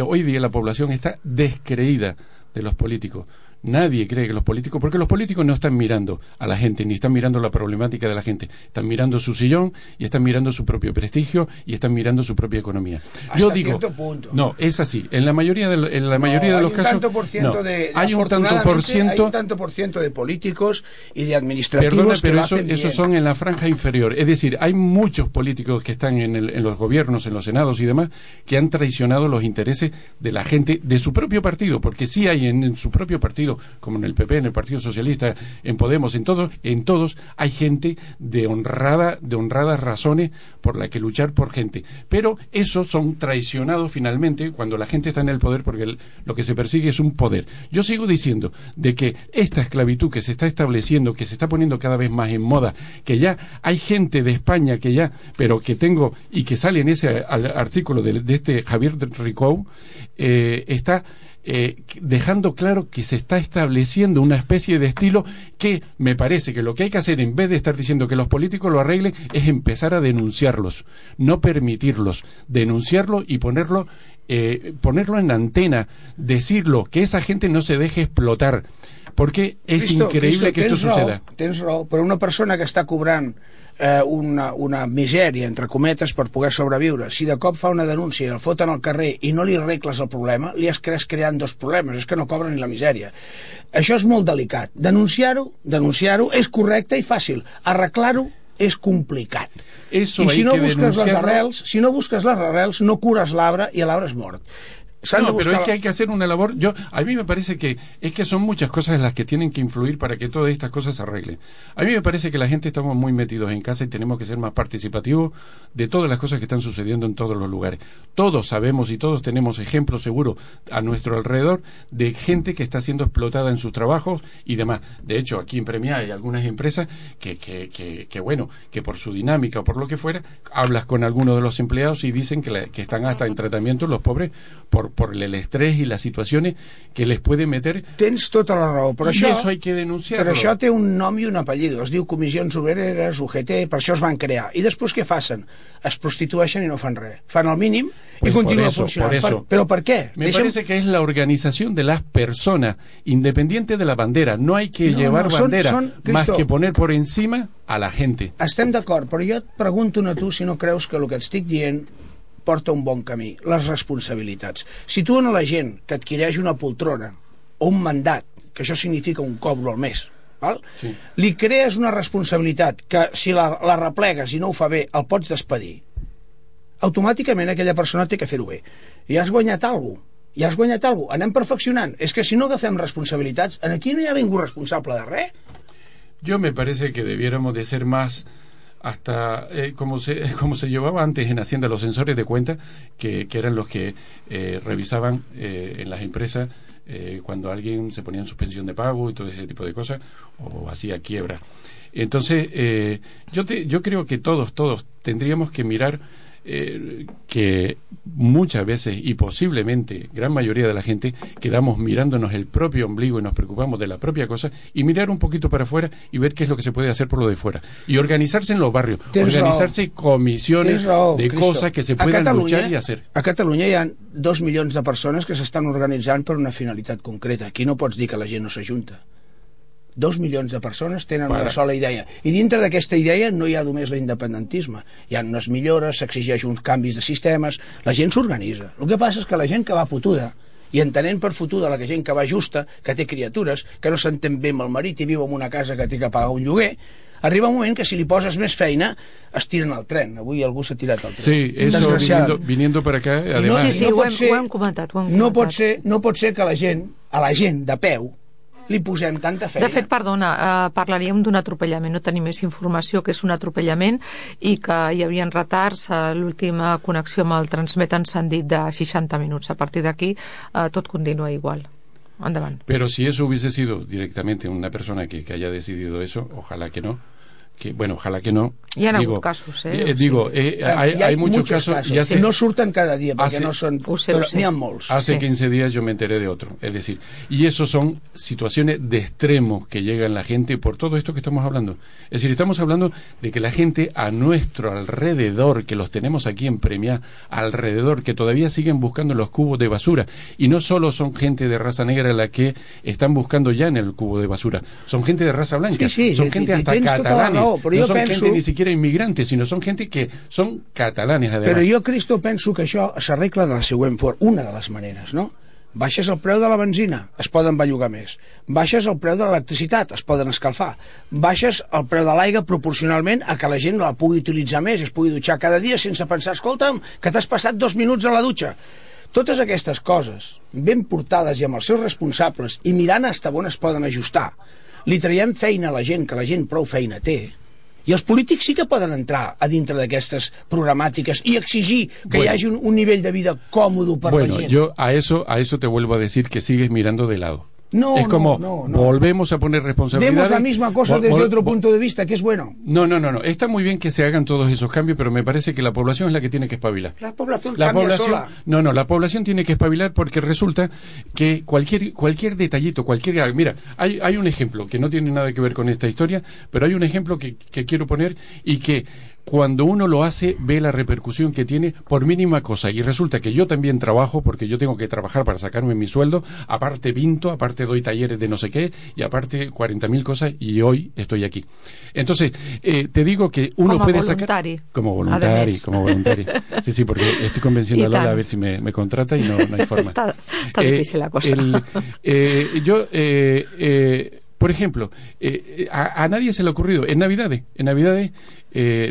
[SPEAKER 12] hoy día la población está descreída de los políticos. Nadie cree que los políticos, porque los políticos no están mirando a la gente, ni están mirando la problemática de la gente, están mirando su sillón y están mirando su propio prestigio y están mirando su propia economía. Yo digo,
[SPEAKER 13] cierto punto.
[SPEAKER 12] No, es así. En la mayoría de los casos,
[SPEAKER 13] hay un tanto por ciento de políticos y de administrativos.
[SPEAKER 12] Perdona, pero eso son en la franja inferior. Es decir, hay muchos políticos que están en los gobiernos, en los senados y demás, que han traicionado los intereses de la gente de su propio partido, porque sí hay en su propio partido, como en el PP, en el Partido Socialista, en Podemos, en todos hay gente de honradas razones por la que luchar por gente. Pero esos son traicionados finalmente cuando la gente está en el poder, porque lo que se persigue es un poder. Yo sigo diciendo de que esta esclavitud que se está estableciendo, que se está poniendo cada vez más en moda, que ya hay gente de España que ya, pero que tengo, y que sale en ese artículo de este Javier Ricou, está dejando claro que se está estableciendo una especie de estilo que me parece que lo que hay que hacer, en vez de estar diciendo que los políticos lo arreglen, es empezar a denunciarlos, no permitirlos, denunciarlo y ponerlo en antena, decirlo, que esa gente no se deje explotar, porque es increíble que esto suceda.
[SPEAKER 13] Tens raó, però una persona que està cobrant una misèria, entre cometes, per poder sobreviure, si de cop fa una denúncia i el foten al carrer i no li arregles el problema, li has creant 2 problemes, és que no cobra ni la misèria. Això és molt delicat. Denunciar-ho és correcte i fàcil. Arreglar-ho és complicat.
[SPEAKER 12] Eso
[SPEAKER 13] I si no busques les arrels, no cures l'arbre i l'arbre és mort.
[SPEAKER 12] No, pero es que hay que hacer una labor. A mí me parece que son muchas cosas las que tienen que influir para que todas estas cosas se arreglen. A mí me parece que la gente estamos muy metidos en casa y tenemos que ser más participativos de todas las cosas que están sucediendo en todos los lugares. Todos sabemos y todos tenemos ejemplos seguros a nuestro alrededor de gente que está siendo explotada en sus trabajos y demás. De hecho, aquí en Premiá hay algunas empresas que por su dinámica o por lo que fuera, hablas con algunos de los empleados y dicen que están hasta en tratamiento los pobres por el estrès i les situacions que les puede meter.
[SPEAKER 13] Tens tota la raó, però
[SPEAKER 12] això hay que denunciarlo.
[SPEAKER 13] Però això té un nom i un apellido, es diu Comissions Obreres, UGT, per això es van crear. I després què facen? Es prostitueixen i no fan res. Fan el mínim y continúa funcionando. ¿Pero por qué?
[SPEAKER 12] Me parece que es la organización de las personas, independiente de la bandera. No hay que llevar bandera, más que poner por encima a la gente.
[SPEAKER 13] Estem d'acord, però jo et pregunto a tu si no creus que el que et estic dient porta un bon camí, les responsabilitats. Si tu a la gent que adquireix una poltrona o un mandat, que això significa un cobro al mes, val? Sí. Li crees una responsabilitat que si la replegues i no ho fa bé el pots despedir, automàticament aquella persona té que fer-ho bé. I has guanyat alguna cosa. Anem perfeccionant. És que si no agafem responsabilitats, aquí no hi ha ningú responsable de res.
[SPEAKER 12] Yo me parece que debiéramos de ser más hasta como se llevaba antes en Hacienda los censores de cuenta, que eran los que revisaban en las empresas cuando alguien se ponía en suspensión de pago y todo ese tipo de cosas o hacía quiebra. Entonces yo creo que todos tendríamos que mirar que muchas veces y posiblemente gran mayoría de la gente quedamos mirándonos el propio ombligo y nos preocupamos de la propia cosa, y mirar un poquito para afuera y ver qué es lo que se puede hacer por lo de fuera y organizarse en los barrios, organizarse comisiones de cosas que se puedan luchar y hacer.
[SPEAKER 13] A Catalunya hi ha 2 milions de persones que s'estan organitzant per una finalitat concreta. Aquí no pots dir que la gent no s'ajunta. 2 milions de persones tenen una sola idea, i dintre d'aquesta idea no hi ha només l'independentisme, hi ha unes millores, s'exigeix uns canvis de sistemes, la gent s'organitza. El que passa és que la gent que va fotuda, i entenent per fotuda la gent que va justa, que té criatures, que no s'entén bé amb el marit i viu en una casa que té que pagar un lloguer, arriba un moment que si li poses més feina es tiren al tren. Avui algú s'ha tirat al tren.
[SPEAKER 12] Sí, eso viniendo para acá, además.
[SPEAKER 4] Sí, ho hem comentat.
[SPEAKER 13] No pot ser que a la gent de peu li posem tanta feina.
[SPEAKER 4] De fet, perdona, parlaríem d'un atropellament, no tenim més informació que és un atropellament i que hi havia retards a l'última connexió amb el Transmet ens han dit de 60 minuts. A partir d'aquí tot continua igual. Andavant.
[SPEAKER 12] Pero si eso hubiese sido directamente una persona que haya decidido eso, ojalá que no. Ojalá que no.
[SPEAKER 4] Hi ha hagut casos,
[SPEAKER 12] hay muchos casos.
[SPEAKER 13] Ya no surten cada día, porque no son, pero ni han molts.
[SPEAKER 12] Hace 15 días yo me enteré de otro, es decir, y eso son situaciones de extremos que llegan la gente por todo esto que estamos hablando. Es decir, estamos hablando de que la gente a nuestro alrededor, que los tenemos aquí en Premiá, alrededor, que todavía siguen buscando los cubos de basura, y no solo son gente de raza negra la que están buscando ya en el cubo de basura, son gente de raza blanca, son gente hasta catalanes. No son gente ni siquiera inmigrantes, sinó són gent que són catalanes, además.
[SPEAKER 13] Però jo, Cristo, penso que això s'arregla de la següent forma, una de les maneres, no? Baixes el preu de la benzina, es poden bellugar més. Baixes el preu de l'electricitat, es poden escalfar. Baixes el preu de l'aigua proporcionalment a que la gent la pugui utilitzar més, es pugui dutxar cada dia sense pensar, escolta'm, que t'has passat 2 minuts a la dutxa. Totes aquestes coses, ben portades i amb els seus responsables, i mirant fins on es poden ajustar, li traiem feina a la gent, que la gent prou feina té, i els polítics sí que poden entrar a dintre d'aquestes programàtiques i exigir que hi hagi un nivell de vida còmodo per la gent.
[SPEAKER 12] Yo a eso te vuelvo a decir que sigues mirando de lado. Es como volvemos a poner responsabilidades.
[SPEAKER 13] Demos la misma cosa desde otro punto de vista, que es bueno.
[SPEAKER 12] No. Está muy bien que se hagan todos esos cambios, pero me parece que la población es la que tiene que espabilar.
[SPEAKER 13] La población cambia sola.
[SPEAKER 12] No, la población tiene que espabilar porque resulta que cualquier detallito, mira, hay un ejemplo que no tiene nada que ver con esta historia, pero hay un ejemplo que quiero poner y que cuando uno lo hace ve la repercusión que tiene por mínima cosa, y resulta que yo también trabajo porque yo tengo que trabajar para sacarme mi sueldo, aparte pinto, aparte doy talleres de no sé qué y aparte 40.000 cosas, y hoy estoy aquí. Entonces te digo que uno puede sacar como voluntario. Sí, porque estoy convenciendo a Lola a ver si me contrata y no hay forma.
[SPEAKER 4] Está difícil la cosa.
[SPEAKER 12] Por ejemplo, a nadie se le ha ocurrido en Navidades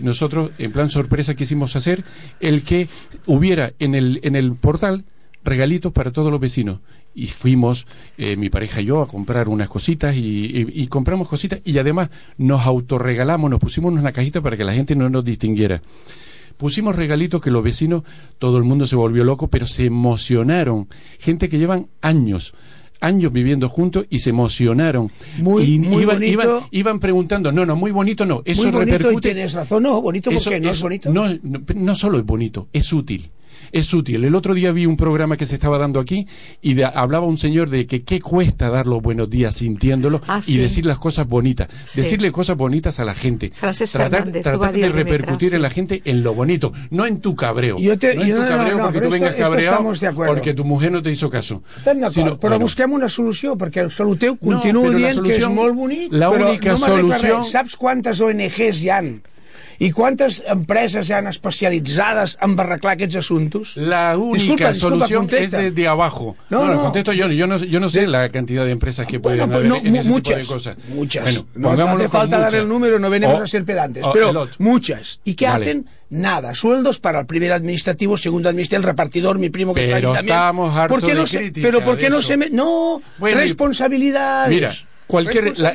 [SPEAKER 12] nosotros en plan sorpresa quisimos hacer el que hubiera en el portal regalitos para todos los vecinos. Y fuimos, mi pareja y yo, a comprar unas cositas y compramos cositas y además nos autorregalamos, nos pusimos en una cajita para que la gente no nos distinguiera. Pusimos regalitos que los vecinos, todo el mundo se volvió loco, pero se emocionaron. Gente que llevan años viviendo juntos y se emocionaron.
[SPEAKER 13] Muy bonito.
[SPEAKER 12] Iban preguntando, no, muy bonito no. Eso
[SPEAKER 13] muy bonito
[SPEAKER 12] repercute.
[SPEAKER 13] Y tienes razón, no, bonito porque no es bonito.
[SPEAKER 12] No solo es bonito, es útil. Es útil. El otro día vi un programa que se estaba dando aquí y hablaba un señor de que qué cuesta dar los buenos días sintiéndolo y decir las cosas bonitas. Sí. Decirle cosas bonitas a la gente. Tratar de repercutir en la gente en lo bonito, no en tu cabreo. Porque tú vengas cabreado porque tu mujer no te hizo caso.
[SPEAKER 13] Estem d'acord, però busquem una solució, perquè el saluteu continuo dient que és molt bonic, però no m'arregla res. Saps quantes ONGs hi han? ¿Y cuántas empresas se han especializadas en arreglar aquests asuntos?
[SPEAKER 12] La única solución es desde abajo. No, contesto yo. Yo no sé la cantidad de empresas que pueden haber en ese tipo de cosas.
[SPEAKER 13] Muchas. Bueno, no hace falta dar el número, no venimos a ser pedantes. Pero muchas. ¿Y qué hacen? Nada. Sueldos para el primer administrativo, segundo administrativo, el repartidor, mi primo que está ahí también.
[SPEAKER 12] Estamos hartos de crítica.
[SPEAKER 13] Pero ¿por qué no se... No, responsabilidades.
[SPEAKER 12] Mira.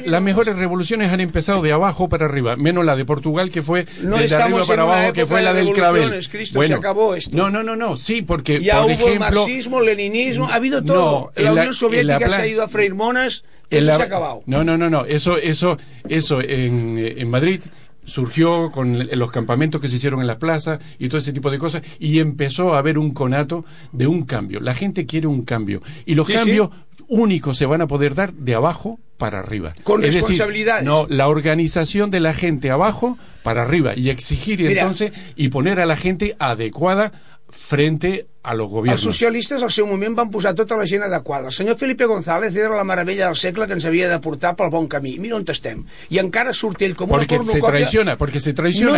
[SPEAKER 12] Las mejores revoluciones han empezado de abajo para arriba, menos la de Portugal, que fue de arriba para abajo, que fue la del clavel.
[SPEAKER 13] Bueno, se acabó esto.
[SPEAKER 12] No, sí, porque
[SPEAKER 13] ya
[SPEAKER 12] por
[SPEAKER 13] hubo
[SPEAKER 12] ejemplo,
[SPEAKER 13] el marxismo, el leninismo, ha habido todo. La Unión Soviética se ha ido a freír monas, eso se ha acabado.
[SPEAKER 12] No, eso en Madrid surgió con los campamentos que se hicieron en las plazas y todo ese tipo de cosas, y empezó a haber un conato de un cambio. La gente quiere un cambio, y los cambios únicos se van a poder dar de abajo para arriba.
[SPEAKER 13] Con responsabilidades.
[SPEAKER 12] No, la organización de la gente abajo para arriba, y exigir entonces y poner a la gente adecuada frente a los gobiernos.
[SPEAKER 13] Els socialistes al seu moment van posar tota la gent adequada. El senyor Felipe González era la meravella del segle que ens havia de portar pel bon camí. Mira on estem. I encara surt ell com una cornucòpia.
[SPEAKER 12] Porque se traiciona.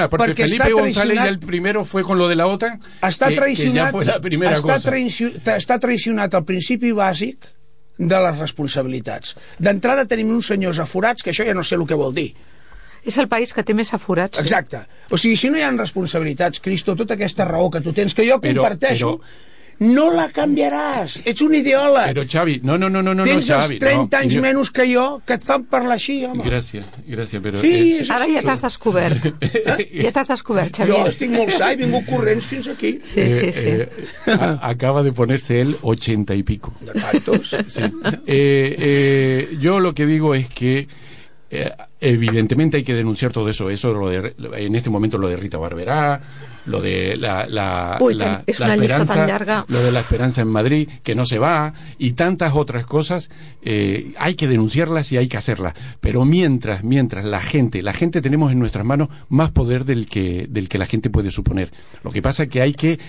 [SPEAKER 12] Porque Felipe González el primero fue con lo de la OTAN, que ya fue la primera cosa.
[SPEAKER 13] Està traicionat el principi bàsic de les responsabilitats. D'entrada tenim uns senyors aforats, que això ja no sé el que vol dir.
[SPEAKER 4] És el país que té més aforats.
[SPEAKER 13] Exacte. O sigui, si no hi ha responsabilitats, Cristo, tota aquesta raó que tu tens, que jo comparteixo, no la canviaràs. Ets un ideòleg.
[SPEAKER 12] Però, Xavi, no,
[SPEAKER 13] tens els 30 anys menys que jo, que et fan parlar així, home.
[SPEAKER 12] Gràcies, però...
[SPEAKER 4] Sí, ara ja t'has descobert. Ja t'has descobert, Xavier.
[SPEAKER 13] Jo estic molt sa, he vingut corrents fins aquí.
[SPEAKER 4] Sí.
[SPEAKER 12] Acaba de ponerse él 80 y pico.
[SPEAKER 13] ¿De tantos?
[SPEAKER 12] Sí. Yo lo que digo es que evidentemente hay que denunciar todo eso. En este momento lo de Rita Barberá, lo de la esperanza, lo de la esperanza en Madrid, que no se va, y tantas otras cosas. Hay que denunciarlas y hay que hacerlas, pero mientras la gente tenemos en nuestras manos más poder del que la gente puede suponer. Lo que pasa es que hay que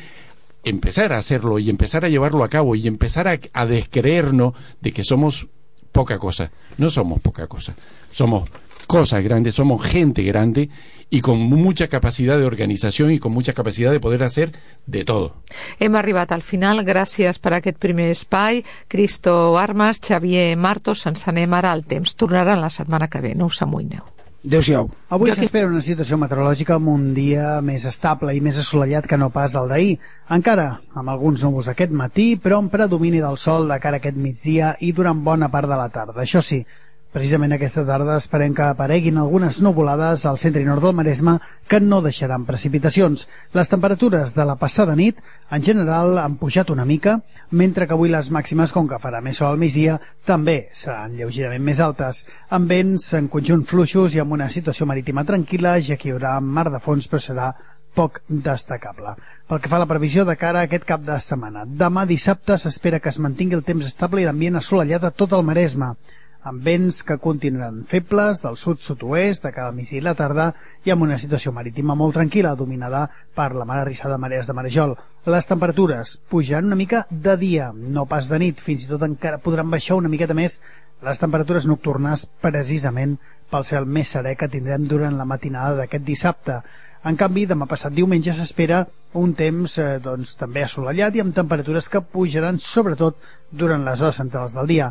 [SPEAKER 12] empezar a hacerlo y empezar a llevarlo a cabo y empezar a descreernos de que somos poca cosa. No somos poca cosa, somos cosas grandes, somos gente grande y con mucha capacidad de organización y con mucha capacidad de poder hacer de todo.
[SPEAKER 4] Hem arribat al final, gràcies per aquest primer espai. Cristo Armas, Xavier Martos, ens anem ara al temps. Tornaran la setmana que ve, no us amoïneu.
[SPEAKER 13] Adéu-siau.
[SPEAKER 14] Avui s'espera una situació meteorològica amb un dia més estable i més assolellat que no pas el d'ahir. Encara amb alguns núvols aquest matí, però amb predomini del sol de cara a aquest migdia i durant bona part de la tarda. Això sí, precisament aquesta tarda esperem que apareguin algunes nuvolades al centre i nord del Maresme que no deixaran precipitacions. Les temperatures de la passada nit en general han pujat una mica, mentre que avui les màximes, com que farà més sol al migdia, també seran lleugerament més altes, amb vents en conjunt fluixos i amb una situació marítima tranquil·la, ja que hi haurà mar de fons, però serà poc destacable. Pel que fa a la previsió de cara a aquest cap de setmana, demà dissabte s'espera que es mantingui el temps estable i l'ambient assolellat a tot el Maresme, amb vents que continuaran febles del sud-sud-oest de cada migdia i la tarda i amb una situació marítima molt tranquil·la, dominada per la mar arrissada de marees de marejol. Les temperatures pujaran una mica de dia, no pas de nit, fins i tot encara podran baixar una miqueta més les temperatures nocturnes, precisament pel cel més serè que tindrem durant la matinada d'aquest dissabte. En canvi, demà passat diumenge s'espera un temps també assolellat i amb temperatures que pujaran sobretot durant les hores centrals del dia.